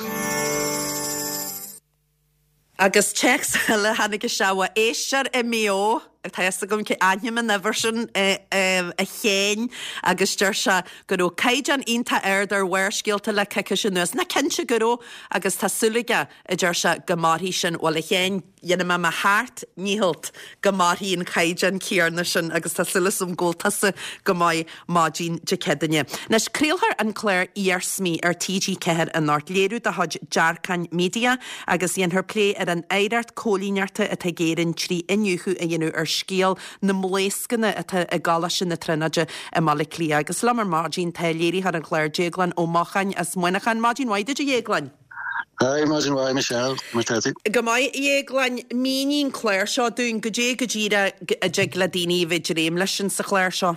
Agus téacs eile tháinig isteach ó éisteoir i Maigh Eo, tá fhios agam cé ainm an uimhir sin a Chéin agus deir sé go raibh caighdeán iontach ard ar Bharrscéalta le coicís anuas. Ná cinnte go raibh agus tá súil aige, a deir sé, go mairfidh sin. Bhuel a Chéin, dhéanfaidh mé mo sheacht ndícheall go mairfidh an caighdeán céanna sin agus tá súil agam go bhfuil tusa go maith maidin Dé Céadaoine. Anois, craolfar an clár Iarsmaí ar T G ceathair anocht, léiriú de chuid Dearcán Media agus dhéanfar plé ar an oidhreacht cóilíneachta atá ag Éirinn trí iniúchadh a dhéanamh ar scéal na mblaoscanna atá i gColáiste na Tríonóide i mBaile Átha Cliath. Agus liom ar maidin tá léiritheoir an chláir Déaglán Ó Mocháin as Muineachán. Maidin mhaith duit a Dhéagláin.
Hi, maidin mhaith Michelle, mar tá tú?
Go maith, a Dhéagláin, mínigh an clár seo dúinn, goidé go díreach a dtig le daoine a bheith ag dréim leis insa chlár seo.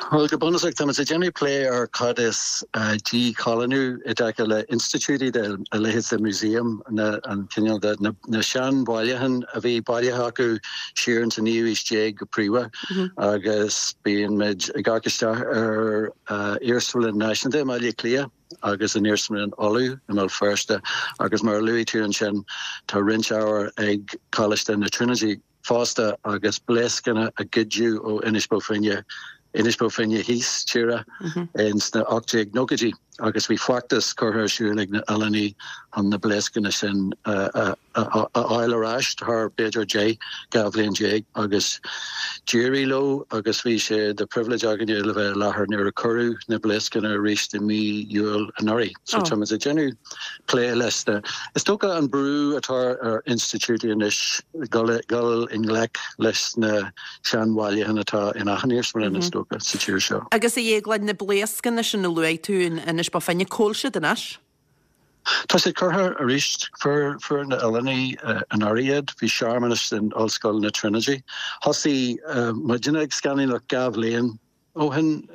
Bhuel, go bunúsach, táimid ag déanamh plé ar cad is díchoilíniú i dtaca le institiúidí de, a leithéid de museum, na, an cineál de, na, na seanbhailiúcháin a bhí bailithe acu siar ins an naoú aois déag go príomha, agus bíonn muid ag amharc isteach ar Iarsmalann Náisiúnta i mBaile Átha Cliath agus an Iarsmalann Uladh i mBéal Feirste agus mar a luaigh tú ansin tá roinnt ábhair ag Coláiste na Tríonóide fosta agus blaoscanna a goideadh ó Inis Bó Finne, Inis Bó Finne thíos tíre ins na ocht déag nóchaidí agus bhí feachtas curtha ar siúl ag na oileánaigh chun na blaoscanna sin a fháil ar ais thar b'fhéidir deich, dhá bhliain déag agus d'éirigh leo agus bhí sé de pribhléid againne le bheith i láthair nuair a cuireadh na blaoscanna arís i mí Iúil anuraidh. So táimid ag déanamh plé leis na, is dócha an brú atá ar institiúidí anois dul dul i ngleic leis na seanbhailiúcháin atá in achan iarsmalann is dócha sa tír seo.
Agus a Dhéagláin, na blaoscanna sin a luaigh tú in Inis Bó Finne, cá bhfuil siad anois?
Tá siad curtha arís, fuair fuair na oileánaigh anuraidh iad, bhí searmanas in Ollscoil na Trinity. Thosaigh muidne ag scannánaíocht dhá bhliain ó shin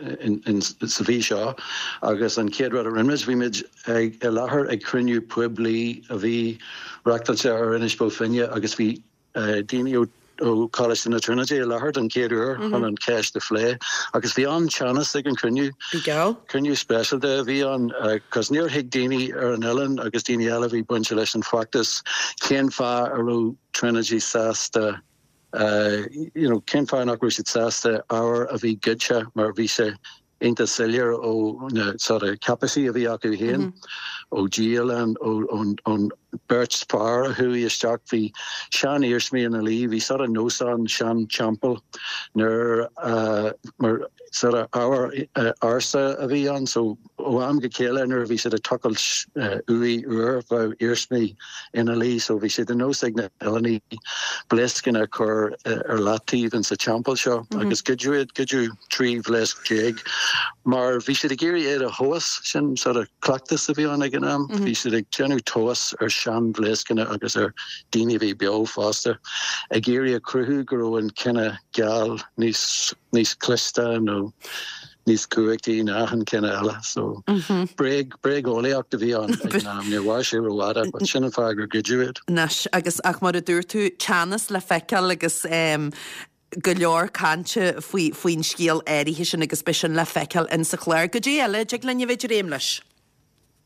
sa mhí seo agus an chéad rud a rinne muid, bhí muid ag i láthair ag cruinniú poiblí a bhí reachtáilte ar Inis Bó Finne agus bhí daoine ó ó Choláiste na Trinity i láthair don chéad uair chun an cheist a phlé agus bhí an-teannas ag an chruinniú.
Bhí geall.
Cruinniú speisialta a bhí ann cos níor thuig daoine ar an oileán agus daoine eile a bhí bainte leis an bhfeachtas cén fáth a raibh Trinity sásta you know cén fáth nach raibh siad sásta ábhar a bhí goidte mar bhí sé iontach soiléir ó na sort of cáipéisí a bhí acu féin, ó dhialann, ón beirt fear a chuaigh isteach, bhí sean-iarsmaí ina luí, bhí sort of nós ann, sean-teampall nuair a, mar sort of ábhar ársa a bhí ann so ó am go chéile nuair a bhí siad ag tochailt uaigh úr bheadh iarsmaí ina luí so bhí sé de nós ag na hoileánaigh blaoscanna a chur ar leataobh insa teampall seo agus goideadh iad, goideadh trí bhlaosc déag mar bhí siad ag iarraidh iad a thomhas, sin sort of cleachtas a bhí ann ag an am, bhí siad ag déanamh tomhas ar seanbhlaoscanna agus ar daoine a bhí beo fosta, ag iarraidh a chruthú go raibh an cine geal níos níos cliste nó níos cumhachtaí ná achan cine eile. So bréag, bréageolaíocht a bhí ann ag an am, níor mhair sé rófhada, but sin an fáth gur goideadh iad.
Anois, agus ach mar a dúirt tú, teannas le feiceáil agus em go leor cainte faoi, faoin scéal áirithe sin agus beidh sin le feiceáil insa chlár. Goidé eile a dtig linn a bheith ag dréim leis?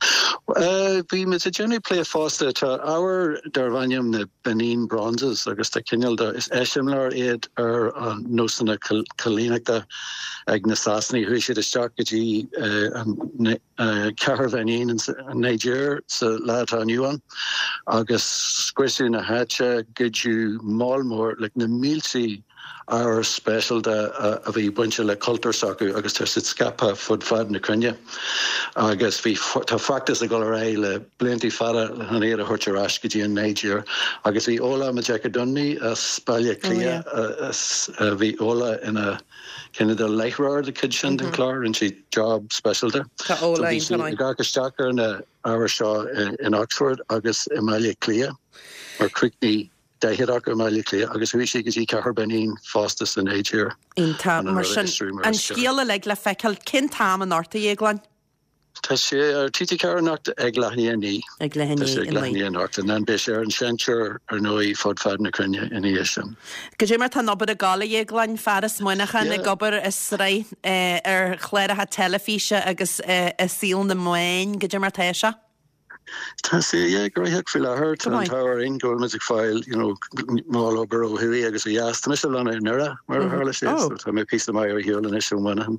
Bhí muid ag déanamh plé fosta tá ábhar darb ainm na Benin Bronzes agus tá cineál de is eiseamláir iad ar an nósanna coilíneachta ag na Sasanaigh chuaigh siad isteach go dtí an cathair Bheinin an Nigéir sa lá atá inniu ann agus scriosadh na háite goideadh moll mór like na mílte ábhar speisialta a bhí bainte le cultúr s'acu agus tá siad scaipthe fud fad na cruinne. Agus bhí tá feachtas ag dul ar aghaidh le blianta fada chun iad a thabhairt ar ais go dtí an Nigéir. Agus bhí Ola Majekodunmi as Baile Átha Cliath bhí Ola ina cineál de láithreoir de chuid sin den chlár, rinne sí job speisialta.
Tá Ola
Bhí sí ag amharc isteach ar na ábhair seo in Oxford agus i mBaile Átha Cliath mar chríochnaigh daichead acu i mBaile Átha Cliath agus chuaigh sí go dtí cathair Benin fosta sa Nigéir.
Iontach mar sin an scéal uilig le feiceáil cén t-am anocht a Dhéagláin?
Tá sé ar TG Ceathair anocht ag leath i ndiaidh a naoi.
Ag leath i
Tá sé ag leath i ndiaidh a naoi anocht and then beidh sé ar an seinnteoir ar ndóigh fud fad na cruinne ina dhiaidh sin.
Goidé mar tá an obair ag gabháil a Dhéagláin, fear as Muineachán ag obair i sraith ar chláracha teilifíse agus i saol na meáin, goidé mar tá sé?
Tá sé yeah, gnóthach faoi láthair tá an t-ádh orainn go bhfuil muid ag fáil you know, moll obair ó thuaidh agus ó dheas. Tá mise lonnaithe i nDoire mar a tharla sé, so tá mé píosa maith ar shiúl anois ó Mhuineachán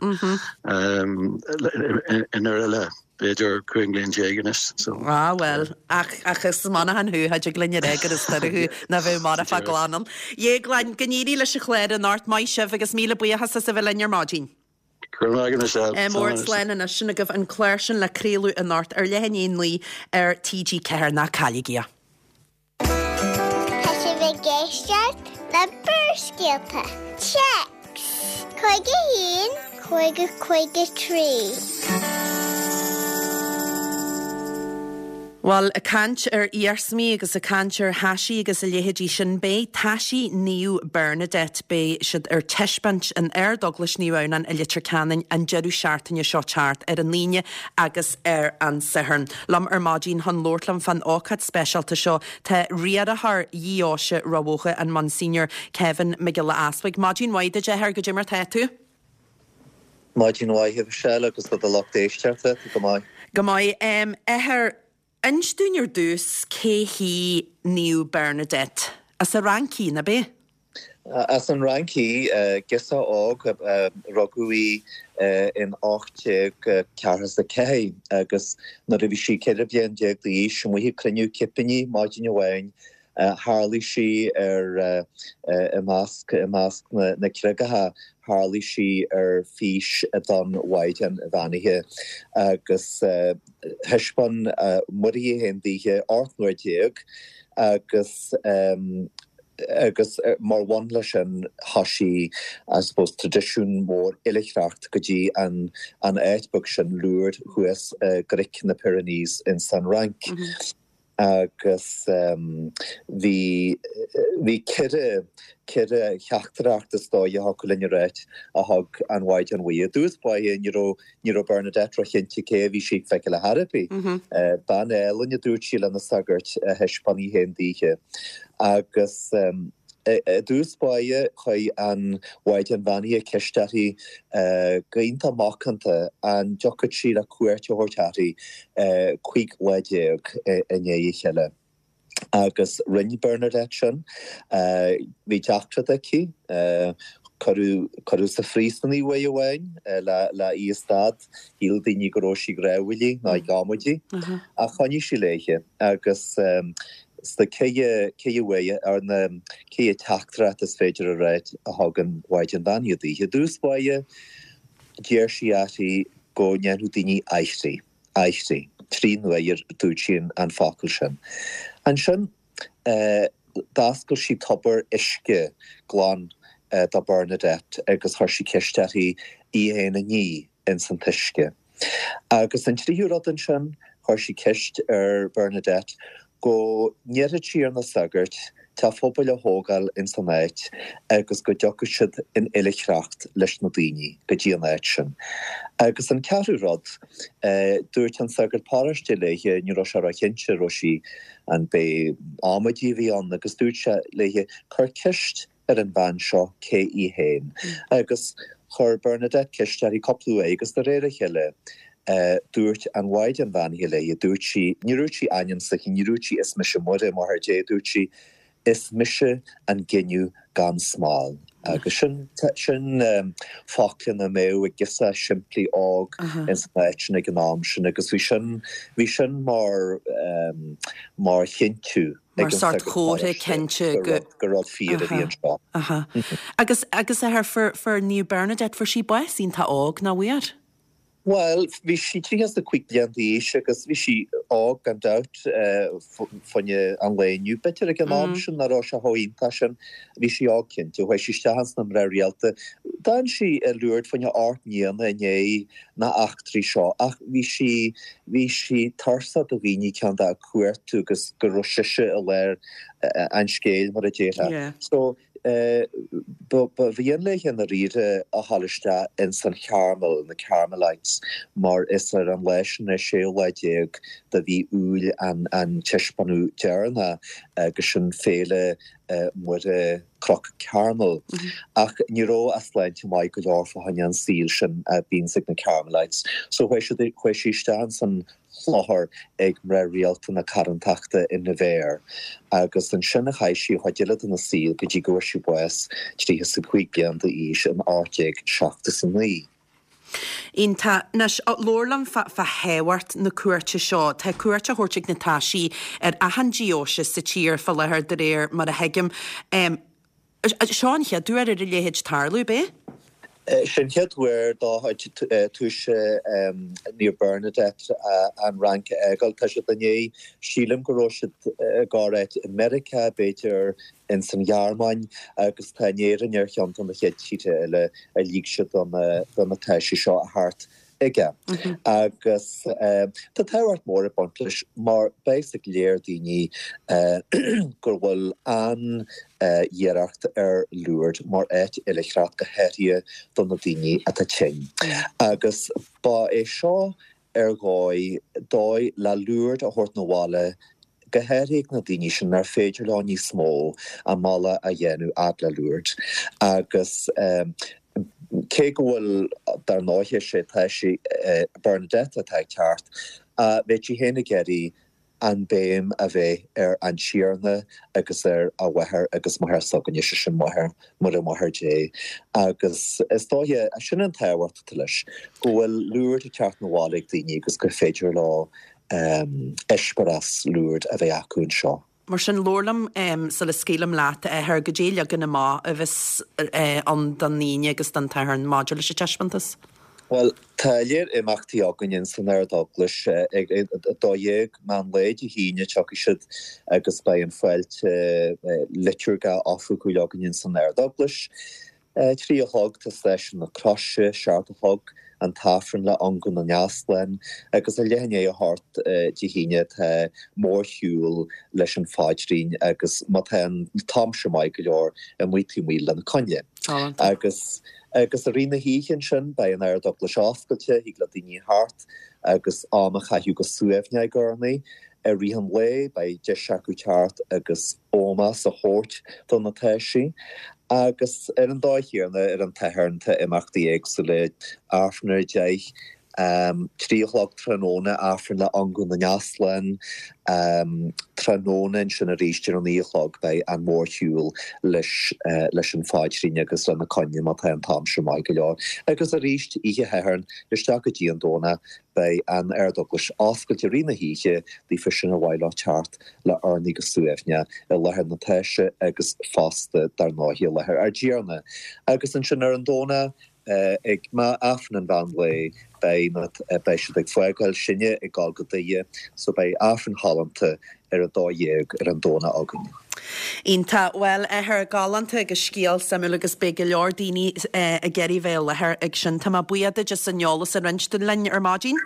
um, i nDoire le b'fhéidir cúig bliana déag anois. So.
Ah well, ach ach is Muineachán thú, cha dtig linn a rá gur as Doire thú ná bheith marfa glan ann. Dhéagláin, go n-éirí leis an chlár anocht, maith sibh agus míle buíochas as a bheith linn ar maidin.
Go raibh maith agat Michelle.
Mór slán anois sin agaibh an clár sin le craoladh anocht ar leath i ndiaidh a naoi ar TG Ceathair ná cailligí é.
Tá sibh ag éisteacht le Barrscéalta. Téacs cúig a haon cúig a cúig a trí.
Bhuel, ag caint ar iarsmaí agus ag caint ar thaisí agus a leithéidí sin, beidh taisí Naomh Bernadette, beidh siad ar taispeáint in Ard-Eaglais Naomh Adhamhnáin i Leitir Ceanainn an deireadh seachtaine seo teacht, ar an Aoine agus ar an Satharn. Liom ar maidin chun labhairt liom fán ócáid speisialta seo tá riarthóir Dheoise Ráth Bhoth, an Monsignor Kevin Mac Giolla Easbuig. Maidin mhaith duit, a Athair, goidé mar tá tú?
Maidin mhaith, a Mhichelle, agus do do lucht éisteachta, go maith.
Go maith. A Athair, Inis dúinn ar dtús cé hí Naomh Bernadette. As an Fhrainc í, ná b'é?
As an Fhrainc í, girseach óg, rugadh í in ocht déag ceathracha is a ceathair agus nuair a bhí sí ceithre bliana déag d'aois, amuigh ag cruinniú cipíní maidin amháin, tharlaigh sí ar i measc i measc na na creagacha, tharlaigh sí ar fís don Mhaighdean Bheannaithe agus thaispeáin Muire í féin daoithe ocht n-uair déag agus agus mar bhun leis sin thoisigh I suppose traidisiún mór oilithreacht go dtí an an áit beag sin Lourdes thuas i gcnoic na Pyrenees ins an Fhrainc. Agus bhí, bhí ceithre, ceithre theachtaireacht is dóigh a thiocfadh linn a ráit a thug an Mhaighdean Mhuire. I dtús báire ní raibh, ní raibh Bernadette róchinnte cé a bhí sí ag feiceáil ar chor ar bith. Bean álainn a dúirt sí lena sagart a thaispeáin í féin daoithe. Agus i dtús báire chuir an Mhaighdean Bheannaithe ceist uirthi go hiontach macánta an dtiocfadh sí le cuairt a thabhairt uirthi cúig lá déag i ndiaidh a chéile. Agus rinne Bernadette sin. Bhí deacracht aici. Cuireadh, cuireadh sa phríosún í uair amháin le, le í a stad. Shíl daoine go raibh sí ag rámhaillí nó ag amaidí. Ach choinnigh sí léithe agus sna ceithre, ceithre uair, ar na ceithre teachtaireacht is féidir a ráit a thug an Mhaighdean Bheannaithe daoithe. I dtús báire, d'iarr sí uirthi go ndéanfadh daoine aithrí, aithrí. Trí n-uaire dúirt sí an focal sin. Ansin, d'oscail sí tobar uisce glan do Bernadette agus chuir sí ceist uirthi í féin a ní ins an t-uisce. Agus an tríú rud ansin, chuir sí ceist ar Bernadette go n-iarrfadh sí ar na sagairt teach pobail a thógáil ins an áit agus go dtiocfadh siad in oilithreacht leis na daoine go dtí an áit sin. Agus an ceathrú rud, dúirt an sagart paróiste léithe, ní raibh sé ró-chinnte raibh sí, an b'é amaidí a bhí ann, agus dúirt sé léithe, cuir ceist ar an bhean seo cé í féin. Agus chuir Bernadette ceist uirthi cúpla uair agus de réir a chéile Dúirt an Mhaighdean Bheannaithe léi, dúirt sí, ní dúirt sí ainm s'aici, ní dúirt sí is mise Muire, Máthair Dé, dúirt sí is mise an gineadh gan smál. Agus sin, sin focla nach mbeadh ag girseach simplí óg ins an áit sin ag an am sin agus bhí sin, bhí sin mar, mar chinntiú
ag an sagart paróiste cinnte
go gur rud fíor a bhí anseo.
Aha. Agus, agus a athair, fuair, fuair Naomh Bernadette, fuair sí bás iontach óg, nach bhfuair?
Bhuel, bhí sí tríocha is a cúig bliain d'aois agus bhí sí óg gan dabht fá choinne an lae inniu. B'fhéidir ag an am sin nach raibh sé chomh iontach sin. Bhí sí óg cinnte. Chuaigh sí isteach ins na mná rialta. D'fhan sí i Lourdes fá choinne ocht mbliana i ndiaidh na eachtraí seo ach bhí sí, bhí sí tuirseach do dhaoine ceann de a cuartú agus go raibh sise i lár an scéil mar a déarfá. So, Ba mhian léi i ndáiríre a dhul isteach ins an Charmel, na Carmelites, mar is ar an lá sin, an séú lá déag de mhí Iúil an taispeánadh deireanach agus sin Féile Muire Cnoc Carmel. Ach ní raibh a sláinte maith go leor fá choinne an saol sin a bhíonns ag na Carmelites. So chuaigh sí isteach ins an chlochar ag mná rialta na Carantachta i Nevers agus ansin a chaith sí a chuid eile dena saol go dtí go bhfuair sí bás tríocha is a cúig bliain d'aois in ocht déag seachtó is a naoi.
Iontach. Anois, labhair liom fá thábhacht na cuairte seo. Tá cuairt á thabhairt ag na taoisigh ar achan diósés sa tír fá láthair de réir mar a thuigim. Seo an chéad uair ar a leithéid tarlú, ab é?
Sin an chéad uair do taoiseach Naomh Bernadette an Fhrainc a fhágáil. Tá siad i ndiaidh, sílim go raibh siad i gcorr-áit i Meiriceá, b'fhéidir ins an Ghearmáin, agus tá an Éirinn ar cheann de na chéad tíortha eile a lig siad do na taoisigh seo a theacht chuige. Agus tá tábhacht mór ag baint leis mar beidh a fhios ag go leor daoine go bhfuil an-iarracht ar Lourdes mar áit oilithreacht go háirithe do na daoine atá tinn. Agus ba é seo ar dhóigh, dóigh le Lourdes a thabhairt 'na bhaile go háirithe ag na daoine sin nár féidir leo níos mó an mbealach a dhéanamh fhad le Lourdes. Agus cé go bhfuil, dar ndóighe, sé taoiseach Bernadette atá ag teacht, bheadh sí féin ag iarraidh an béim a bheith ar an Tiarna agus ar a mháthair agus máthair s'againne, sé sin máthair, Muire Máthair Dé. Agus is dóiche, sin an tábhacht atá leis, go bhfuil Lourdes ag teacht 'na bhaile ag daoine agus gur féidir leo eispéireas Lourdes a bheith acu anseo.
Mar sin, labhair liom sula scaoilim leat, a Athair, goidé leagan amach a bheas ann don Aoine agus don tSatharn maidir leis an taispeántas.
Bhuel, tá léar imeachtaí againn ins an Ard-Eaglais. Ag a dó dhéag meán lae Dé hAoine tiocfaidh siad agus beidh an fáilte liotúirgeach oifigiúil againn ins an Ard-Eaglais. Trí a chlog tá Stáisiún na Croise, seacht a chlog an tAifreann le Ungadh na nEaslán agus a leath i ndiaidh a hocht Dé hAoine tá mórshiúl leis an phaidrín agus má tá an t-aimsir maith go leor amuigh taobh amuigh le na coinnle. Agus agus i rith na hoíche ansin beidh an Ard-Eaglais oscailte, thig le daoine theacht agus am a chaitheamh go suaimhneach ag urnaí. I rith an lae beidh deis acu teacht agus ómós a thabhairt do na taoisigh. Agus ar an dóigh chéanna ar an tSatharn tá imeachtaí éagsúla, Aifreann ar a deich, trí a chlog tráthnóna, Aifreann le Ungadh na nEaslán, tráthnóna ansin arís ar a naoi a chlog beidh an mórshiúl leis leis an phaidrín agus le na coinnle má tá an t-aimsir maith go leor. Agus arís oíche Shathairn isteach go dtí an Domhnach beidh an Ard-Eaglais oscailte i rith na hoíche daofa sin ar mhaith leo teacht le urnaí go suaimhneach i láthair na taoise agus fosta, dar ndóighe, i láthair ár dTiarna. Agus ansin ar an Domhnach, ag Aifreann an mheán lae, beidh na, beidh siad ag fágáil sinne ag dul go Doire, so beidh Aifreann galánta ar a dó dhéag ar an Domhnach againn.
Iontach. Bhuel, a Athair, galánta agus scéal suimiúil agus beidh go leor daoine ag iarraidh bheith i láthair ag sin. Tá mé buíoch duit as an eolas a roinnt linn ar maidin.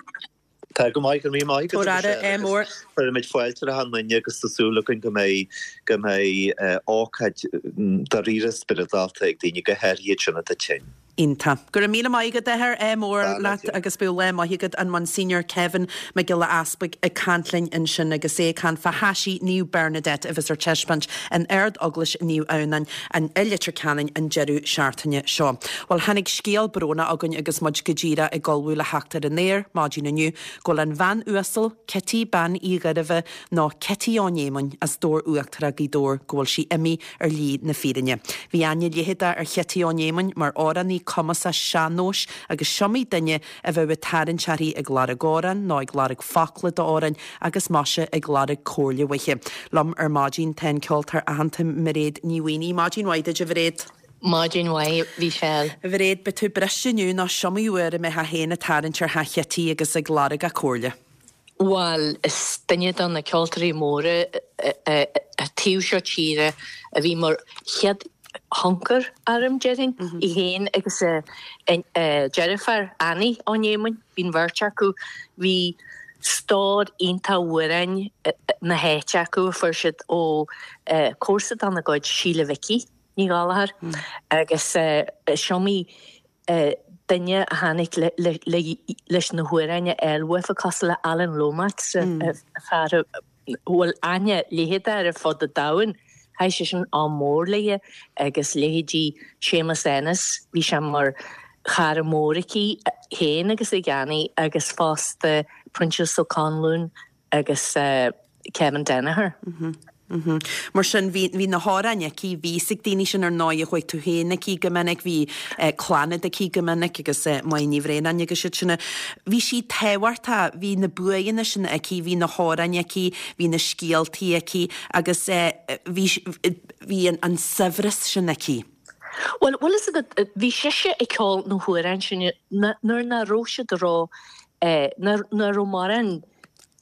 Tá go maith, go raibh míle maith agat,
Tabhair aire, ádh mór.
Cuirimid fáilte ar achan nduine agus tá súil againn go mbeidh go mbeidh ócáid dáiríre spioradálta ag daoine, go háirithe iad sin atá tinn.
Iontach. Go raibh míle maith agat, a athair, ádh mór leat agus bíodh lá maith agat, an Monsignor Kevin Mac Giolla Easpaig ag caint linn ansin agus é ag caint fá thaisí Naomh Bernadette a bheas ar taispeáint in Ard-Eaglais Naomh Adhamhnáin i Leitir Ceanainn an deireadh seachtaine seo. Bhuel, tháinig scéal brónach chugainn agus muid go díreach ag ullmhú le theacht ar an aer maidin inniu go bhfuil an bhean uasal Cití Bean Uí Ghairbhith nó Cití Ó Néamáin as Dobhar Uachtarach, Gaoth Dobhair go bhfuil sí imithe ar shlí na fírinne. Bhí aithne leitheadach ar Chití Ó Néamáin mar amhránaí cumasach sean-nóis agus s'iomaí duine a bheadh ag tarraingt uirthi ag lorg amhrán nó ag lorg focla d'amhrán agus maise ag lorg comhairle uaithi. Liom ar maidin tá an ceoltóir aitheanta Mairéad Ní Mhaonaigh. Maidin mhaith duit a Mhairéad.
Maidin mhaith, a Mhichelle.
A Mhairéad, beidh tú briste inniu nó s'iomaí uair a mbeifeá féin ag tarraingt ar theach Chití agus ag lorg a comhairle.
Bhuel, is duine de na ceoltóirí móra an taobh seo tíre a bhí mar chéad thionchar orm, déarfainn, í féin agus a deirfiúr, Annie Ó Néamáin, bhí an bheirt acu, bhí stór iontach amhráin na háite acu a fuair siad ó comharsa dá gcuid, Síle Mhicí Ní Ghallchóir, agus is iomaí duine a tháinig leis na hamhráin a fháil uafa cosúil le Alan Lomax, fear a bhfuil aithne leitheadach air ar fud an domhain. Chaith seisean am mór léi agus leithéidí Séamus Ennis, bhí sé mar chara mór aici féin agus ag Annie agus fosta Proinsias Ó Conluain agus Kevin Danaher.
Mar sin, bhí, bhí na hamhráin aici, bhí fhios ag daoine sin ar ndóigh, chuaigh tú féin aici go minic, bhí Clannad aici go minic agus Máire Ní Bhraonáin agus iad sin. Bhí sí tábhachtach, bhí na buanna sin aici, bhí na hamhráin aici, bhí na scéaltaí aici agus bhí, bhí an, an saibhreas sin aici.
Bhuel, bhfuil fhios agat, bhí sise ag ceol na hamhráin sin nuair nach raibh siad ró, nuair nach raibh mórán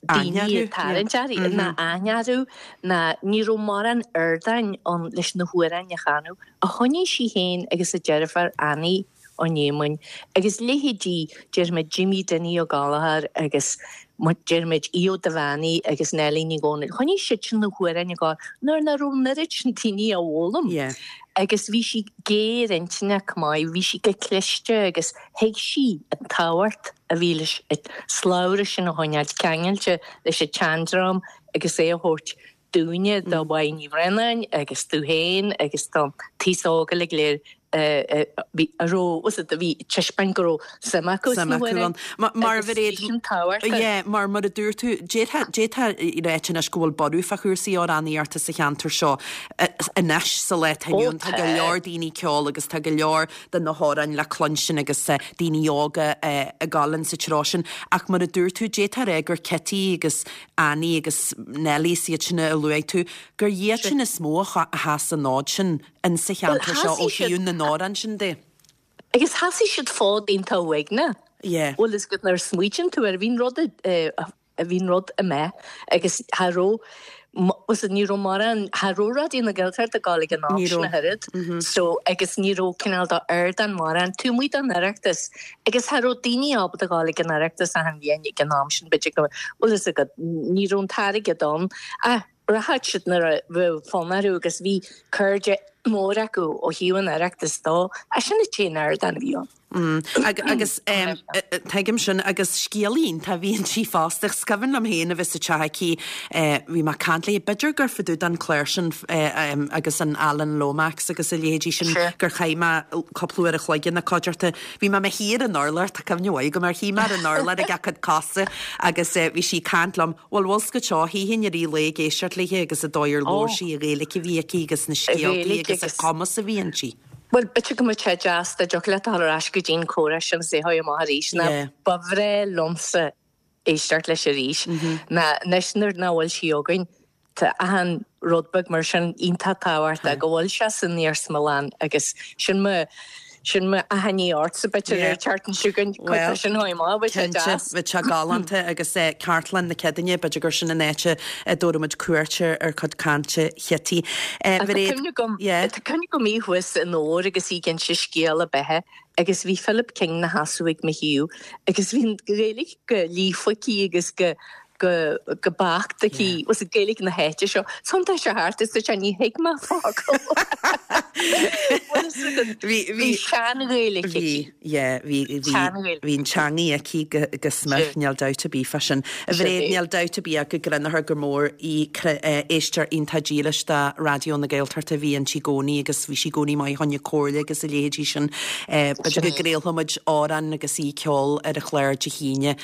daoine ag tarraingt uirthi, ná aithne orthu, ná ní raibh mórán ardáin ann leis na hamhráin a chanadh. Ach choinnigh sí féin agus a deirfiúr Annie Ó Néamáin agus leithéidí, déarfaimid Jimmy Dinny Ó Gallchóir agus déarfaimid Aodh Ó Duibheannaigh agus Neilí Ní Dhomhnaill, choinnigh siadsan na hamhráin ag gabháil nuair nach raibh an oiread sin daoine á bhfoghlaim. Agus bhí sí géar-intinneach maith, bhí sí go cliste agus thuig sí an tábhacht a bhí leis an slabhra sin a choinneáilt ceangailte leis an tseandream agus é a thabhairt dúinne, do Mháire Ní Bhraonáin agus tú féin agus don t-aos óg uilig go léir a raibh, a bhí ag taispeáint go raibh suim acu
sna hamhráin. Mar a bhí, yeah, mar mar a dúirt tú, d'fhéadfá d'fhéadfá a ráit anois go bhfuil borradh fá chúrsaí amhránaíochta sa cheantar seo anois sa lá atá inniu ann. Tá go leor daoine ag ceol agus tá go leor de na hamhráin le cluinstin agus daoine óga ag gabháil sa treo sin. Ach mar a dúirt tú, d'fhéadfá a rá gur Cití agus Annie agus Nellie is iad sin a luaigh tú, gur iad sin is mó a sheas an fhód sin in sa cheantar seo ó thaobh na n-amhrán sin de.
Agus sheasaigh siad fód iontach uaigneach.
Yeah.
Bhfuil fhios agat nuair a smaoitíonn tú air, bhí an rud a bhí an rud imithe agus cha raibh bhfuil ní raibh mórán cha raibh Raidió na Gaeltachta ag gabháil ag an am sin ach oiread so agus ní raibh cineál d'ardán mórán taobh amuigh den Oireachtas agus cha raibh daoine ábalta gabháil ag an Oireachtas achan bhliain ag an am sin b'fhéidir go bhfuil fhios agat ní raibh an t-airgead ann ach rachadh siad nuair a bheadh fonn orthu agus bhí cairde mór acu ó thaobh an Oireachtais dó ach sin an t-aon ardán a bhí ann.
Agus tuigim sin agus scéalaí iontach a bhí inti fosta. Is cuimhin liom féin a bheith sa teach aici, bhí mé ag caint léi, b'fhéidir gur fá dtaobh den chlár sin agus an Alan Lomax agus a leithéidí sin gur chaith mé cúpla uair a chloig ina cuideachta. Bhí mé i mo shuí ar an urlár, tá cuimhne mhaith agam air, shuigh mé ar an urlár ag a cuid cosa agus bhí sí ag caint liom, bhuel bhfuil 's agat seo, shuífinn i rith an lae ag éisteacht léi agus an dóigh ar labhair sí, an Ghaeilge a bhí aici agus na scéaltaí agus an cumas a bhí inti.
Bhuel, b'fhéidir go mbeadh sé deas dá dtiocfadh leat a dhul ar ais go dtí an comhrá sin is é a chur amach arís ná ba bhreá liomsa éisteacht leis arís. Ná anois nuair nach bhfuil sí againn, tá achan rud beag mar sin iontach tábhachtach go bhfuil sé san iarsmalann agus sin mo sin mo achainí ortsa b'fhéidir ar an tseachtain seo chugainn cuid de sin a chur amach, bheadh sé
Cinnte,
deas.
bheadh sé galánta agus Cartlann na Céadaoine, b'fhéidir gur sin an áit a dtabharfaidh muid cuairt ar chuid cainte Chití.
Tá cuimhne agam, tá cuimhne agam í thuas i nDobhar agus í ag inse scéal a beatha agus bhí Philip King 'na sheasamh ag mo thaobh agus bhí an Ghaeilge go líofa aici agus go go go beacht aici was Gaeilge na háite seo. Thiontaigh sé thart is dúirt sé ní thuig mé focal. Bhuel Bhí bhí sean-Ghaeilge aici.
Bhí, yeah, bhí bhí bhí an teangaidh aici go go smior, níl dabht ar bith fá sin. A Mhairéad, níl dabht ar bith ach go gcruinneofar gur mór í éisteoir iontach dílis de Raidió na Gaeltachta a bhí inti i gcónaí agus bhí sí i gcónaí maith fá choinne comhairle agus a leithéidí sin. B'fhéidir go gcraolfaidh muid amhrán agus í ag ceol ar an chlár Dé hAoine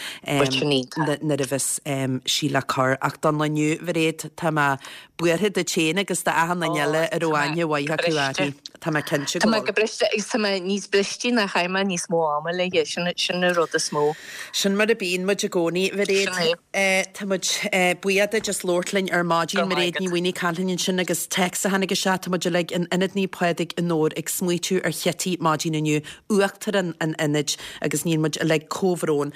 nuair a bheas sí le cur. Ach don lá inniu, a Mhairéad, tá mé buartha duit féin agus d'achan duine eile a raibh aithne mhaith acu uirthi. Tá mé cinnte
go bhfuil. Tá mé go briste agus tá mé níos briste ná chaith mé níos mó ama léi, sin sin an rud is mó.
Sin mar a bíonn muid i gcónaí. Mhairéad, tá muid buíoch duit as labhairt linn ar maidin. Mairéad Ní Mhaonaigh ag caint linn ansin agus téacs a tháinig isteach, tá muid uilig in Ionad Naomh Pádraig i nDobhar ag smaoitiú ar Chití maidin inniu, Uachtarán an Ionaid agus níonn muid uilig comhbhrón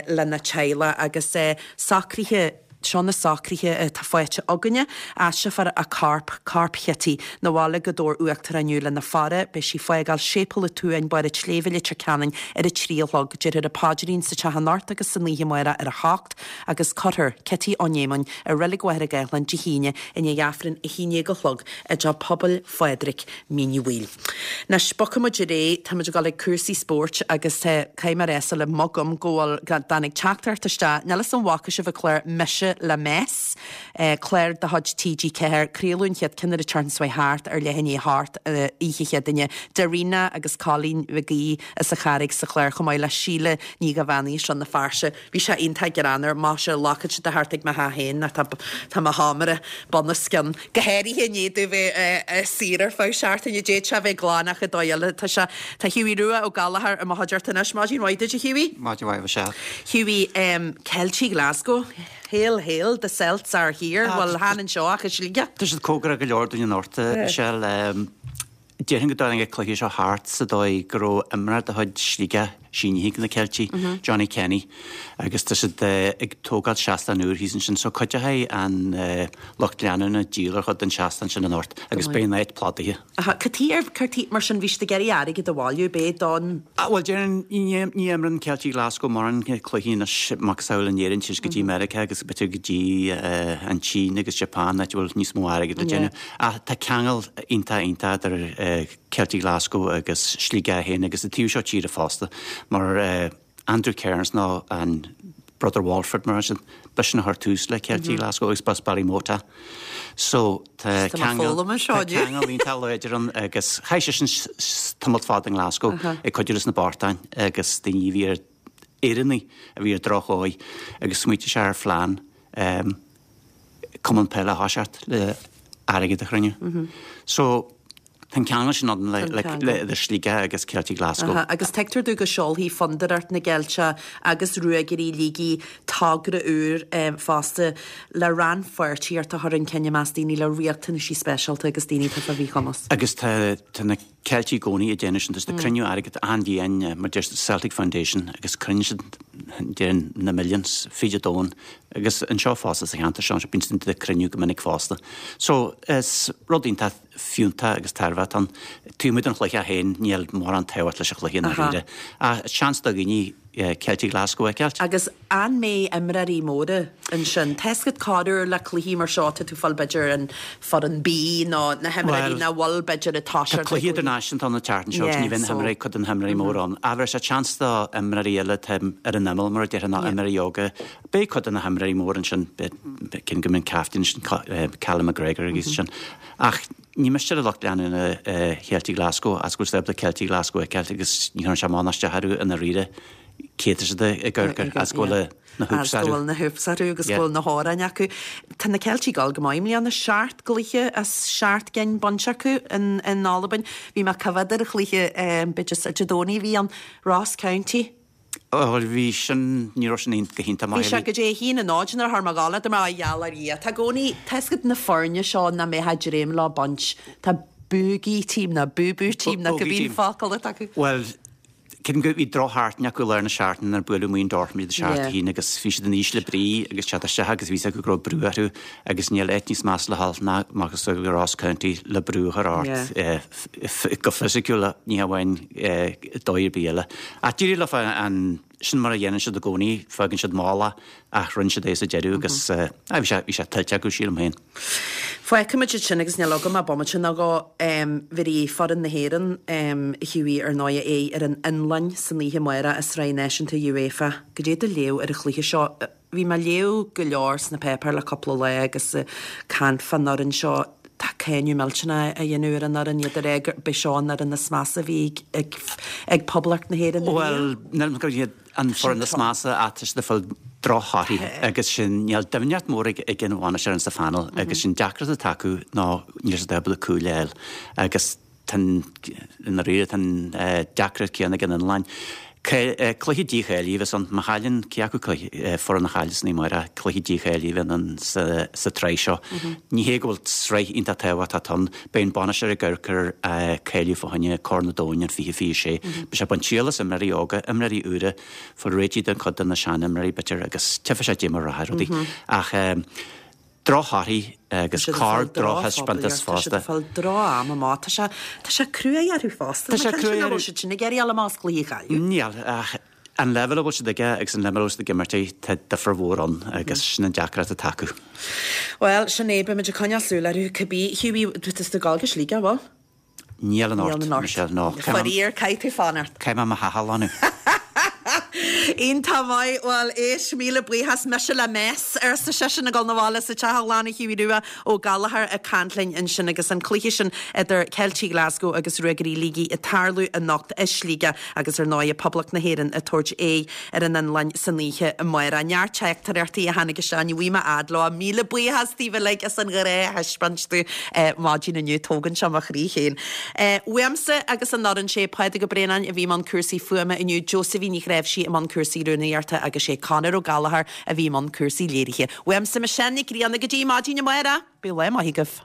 lena teaghlach agus socruithe Seo na socruithe atá faighte againne. Aistreofar a corp, corp Chití, 'na bhaile go Dobhar Uachtarach inniu lena faire. Beidh sí ag fágáil Séipéal an tSuain, Barr an tSléibhe, Leitir Ceanainn ar a trí a chlog. Déarfar an paidrín sa teach anocht agus san oíche amárach ar a hocht agus cuirfear Cití Ó Néamáin i Reilig Mhachaire Gathlán Dé hAoine i ndiaidh Aifreann a haon déag a chlog i dTeach Pobail Phádraig, Mín Uí Bhaoill. Anois, bogfaidh muid ar aghaidh, tá muid ag dul ag cúrsaí spóirt agus caithfidh mé a rá le mo ghum go bhfuil, go dtáinig teachtaireacht isteach, níl 'fhios an bhfaca sibh an clár Mise le Mes, clár de chuid T G ceathair, craoladh an chéad ceann ar an tseachtain seo thart ar leath i ndiaidh a hocht oíche Chéadaoine, Darina agus Colleen Mhig Aoidh as an Charraig sa chlár chomh maith le Síle Ní Dhomhnaill as Rann na Feirste. Bhí sé iontach greannmhar, maise, glacann siad a thart ag mo theach féin ach tá tá mo sheomra bunoscionn, go háirithe i ndiaidh domh bheith saor ar feadh seachtaine, d'fhéadfadh sé a bheith glan ach an dóigh eile tá sé. Tá Hughie Rua Ó Gallchóir i mo chuideachta anois. Maidin mhaith duit a Hughie.
Maidin mhaith a Mhichelle.
Hughie, Ceiltigh Glasgow, Hail hail, the Celts are here, bhuel chan anseo ach i Sligeach.
Tá siad cóngarach go leor dúinn anocht, a Mhichelle. Déarfainn go dtáinig an cluiche seo thart sa dóigh go raibh imreoir de chuid Shligigh sínithe ag na Ceiltigh, Johnny Kenny, agus tá siad ag tógáil seastán úr thíos ansin so cuideoidh an lucht leanúna díol ar chuid den seastán sin anocht agus beidh an áit plódaithe.
Aha, cad chuige ar, cad chuige, mar sin bhí siad ag iarraidh airgead a bhailiú, b'é don.
Ah, bhuel déarfainn ní ní imreann Ceiltigh Glasgow mórán cluichí anois macasamhail in Éirinn, téann siad go dtí Meiriceá agus b'fhéidir go dtí an tSín agus Japan áit a bhfuil níos mó airgead le déanamh. Ach tá ceangal iontach iontach idir Ceiltigh Glasgow agus Sligeach féin agus an taobh seo tíre fosta mar Andrew Kearns nó an Brother Walfrid mar sin, b'eisean a chuir tús le Ceiltigh Glasgow agus b'as Ballymote. So tá ceangal tá ceangal iontach láidir ann agus chaith seisean tamall fada i nGlasgow ag cuidiú leis na bochtáin agus daoine a bhí ar Éireannaigh a bhí ar drochdhóigh agus smaointigh sé ar phlean cumann peile a thoiseacht le airgead a chruinniú. So tá an ceangal sin ann le idir Sligeach agus Ceiltigh Glasgow.
Agus tuigtear domh go seolfaidh Fondúireacht na gCeilteach agus Ruagairí Shligigh togra úr fosta le rannpháirtíocht a chur chun cinn i measc daoine le riachtanaisí speisialta agus daoine atá fá mhíchumas.
Agus tá na Ceiltigh i gcónaí ag déanamh sin, tá siad ag cruinniú airgead achan bhliain mar deir siad Celtic Foundation agus cruinníonn siad déarfainn na millions fríd an domhan agus anseo fosta sa cheantar seo bíonn siad ag cruinniú go minic fosta. So is rud iontach fiúntach agus tairbheach atá ann. Taobh amuigh den chluiche féin níl mórán tábhacht leis an chluiche i ndáiríre ach seans do dhaoine Ceiltigh Glasgow a fheiceáilt.
Agus an mbeidh imreoirí móra ansin? Tá 'fhios agat corruair le cluichí mar seo tá tú ag fáil b'fhéidir an foireann B nó na himreoirí nach bhfuil b'fhéidir ag toiseacht
Tá cluichí idirnáisiúnta ann an tseachtain seo agus ní bheidh na himreoirí, cuid de na himreoirí móra ann. Ach bheir sé seans do imreoirí eile atá ar an imeall mar a déarfá nó imreoirí óga. Beidh cuid de na himreoirí móra ansin, cinn go mbeidh an captaen sin, Callum McGregor agus sin. Ach ní miste le lucht leanúna Cheiltigh Glasgow as go bhfuil siad ábalta Ceiltigh Glasgow a fheiceáilt agus ní chuireann sé amach ná isteach orthu i ndáiríre. Cé tá siad ag amharc air as go bhfuil na hoops
orthu. As go bhfuil na hoops orthu agus go bhfuil na hamhráin acu. Tá na Ceiltigh ag dul go maith i mbliana, seacht gcluiche as seacht gcinn bainte acu in Albain. Bhí mé ag coimhéad ar an chluiche, b'fhéidir Dé Domhnaigh a bhí ann, Ross County.
Bhuel bhí sin, ní raibh sin go hiontach
maith. Bhí sé go dtí a haon a náid nuair a chuir mé a ghabháil, dúirt mé, a gheall ar Dhia. Tá i gcónaí, tá 'fhios agat na foirne seo nach mbeifeá ag dréim leo baint, tá bogey team nó boo-boo team nó cibé focal atá acu.
Bhuel, Creidim go bhí drochsheachtain acu i lár na seachtaine nuair a buaileadh amuigh in Dortmund iad seacht a haon agus bhí siad in ísle brí agus teacht isteach agus bhí 'fhios acu go raibh brú orthu agus níl áit níos measa le dhul ná macasamhail Ross County le brú a chur ort go fisiciúil ní hamháin dóigh ar bith eile. Ach d'éirigh leo an sin mar a dhéanann siad i gcónaí, fágann siad mall ach rinne siad é sa deireadh agus bhí sé bhí sé tuillte acu, sílim féin.
Feicfimid sin agus níl agam ach bomaite nó dhó. Bhéarfaidh foireann na hÉireann, a Hughie, ar ndóigh, aghaidh ar an Fhionlainn san oíche amárach i Sraith Náisiúnta UEFA. Goidé do léamh ar an chluiche seo? Bhí mé ag léamh go leor sna páipéir le cúpla lá agus caint fán fhoireann seo. Tá cáineadh millteanach á dhéanamh ar an fhoireann, iad ag rá gurb é seo an fhoireann is measa a bhí ag ag Poblacht na hÉireann
ariamh. Bhuel, níl gurb iad an foireann is measa ach tá siad ag fáil drochthorthaí agus sin níl doimhneacht mór ag ag an bhainisteoir sa phainéal agus sin deacracht atá acu ná níl siad ábalta cúil a fháil agus tá an i ndáiríre tá an deacracht céanna ag an Fhionlainn. Cluiche dícháilithe a bheas ann. Má chailleann cé acu foireann a chailleas an oíche amárach, cluiche dícháilithe a bheidh ann sa tsraith seo. Ní hé go bhfuil sraith iontach tábhachtach ann. Beidh an bainisteoir ag amharc ar cáiliú fá choinne Corn an Domhain in fiche fiche sé. Beidh sé ag baint triail as imreoirí óga, imreoirí úra, fáil réitithe den chuid de na seanimreoirí b'fhéidir agus tchífidh sé goidé mar a rachaidh rudaí. Ach drochthorthaí agus corr-drochthaispeántas
fosta. Tá siad ag fáil droch-am amach. Tá sé, tá sé cruaidh orthu fosta. Tá sé cruaidh orthu. Nach bhfuil siad sin ag iarraidh a dhul amach as cluiche a chailleadh.
Níl, ach an leibhéal a bhfuil siad aige agus an leibhéal a bhfuil siad ag imirt ag, tá difear mhór ann agus sin an deacracht atá acu.
Bhuel, sin é, beimid ag coinneáil súil orthu cibé. Hughie, tá tú ag dul go Sligeach, bhfuil?
Níl anocht, Michelle, no.
Faraor, caithfidh tú fanacht.
Caithfidh mé mo theach a ghlanadh.
Iontach maith, bhuel, éist, míle buíochas, mise le mess, arsa seisean ag dul 'na bhaile sa teach a ghlanadh Hughie Rua Ó Gallchóir ag caint linn ansin agus an cluiche sin idir Ceiltigh Glasgow agus Ruagairí Shligigh ag tarlú anocht i Sligeach agus ar ndóigh Poblacht na hÉireann ag tabhairt aghaidh ar an Fhionlainn san oíche amárach. Neart teachtaireachtaí a tháinig isteach, ní bhfaighidh mé fhad leo. Míle buíochas daoibh uilig as an ghrá a thaispeáint domh maidin inniu, tógann sé mo chroí féin. Uaimse agus an fhoireann, sé Pádraig Ó Braonáin a bhí i mbun cúrsaí fuaime inniu, Josephine Ní Chnáimhsí i mbun cúrsaí rúnaíochta agus sé Conor Ó Gallchóir a bhí i mbun cúrsaí léirithe. Uaimse Michelle Nic Grianna go dtí maidin amárach, bíodh lá maith agaibh.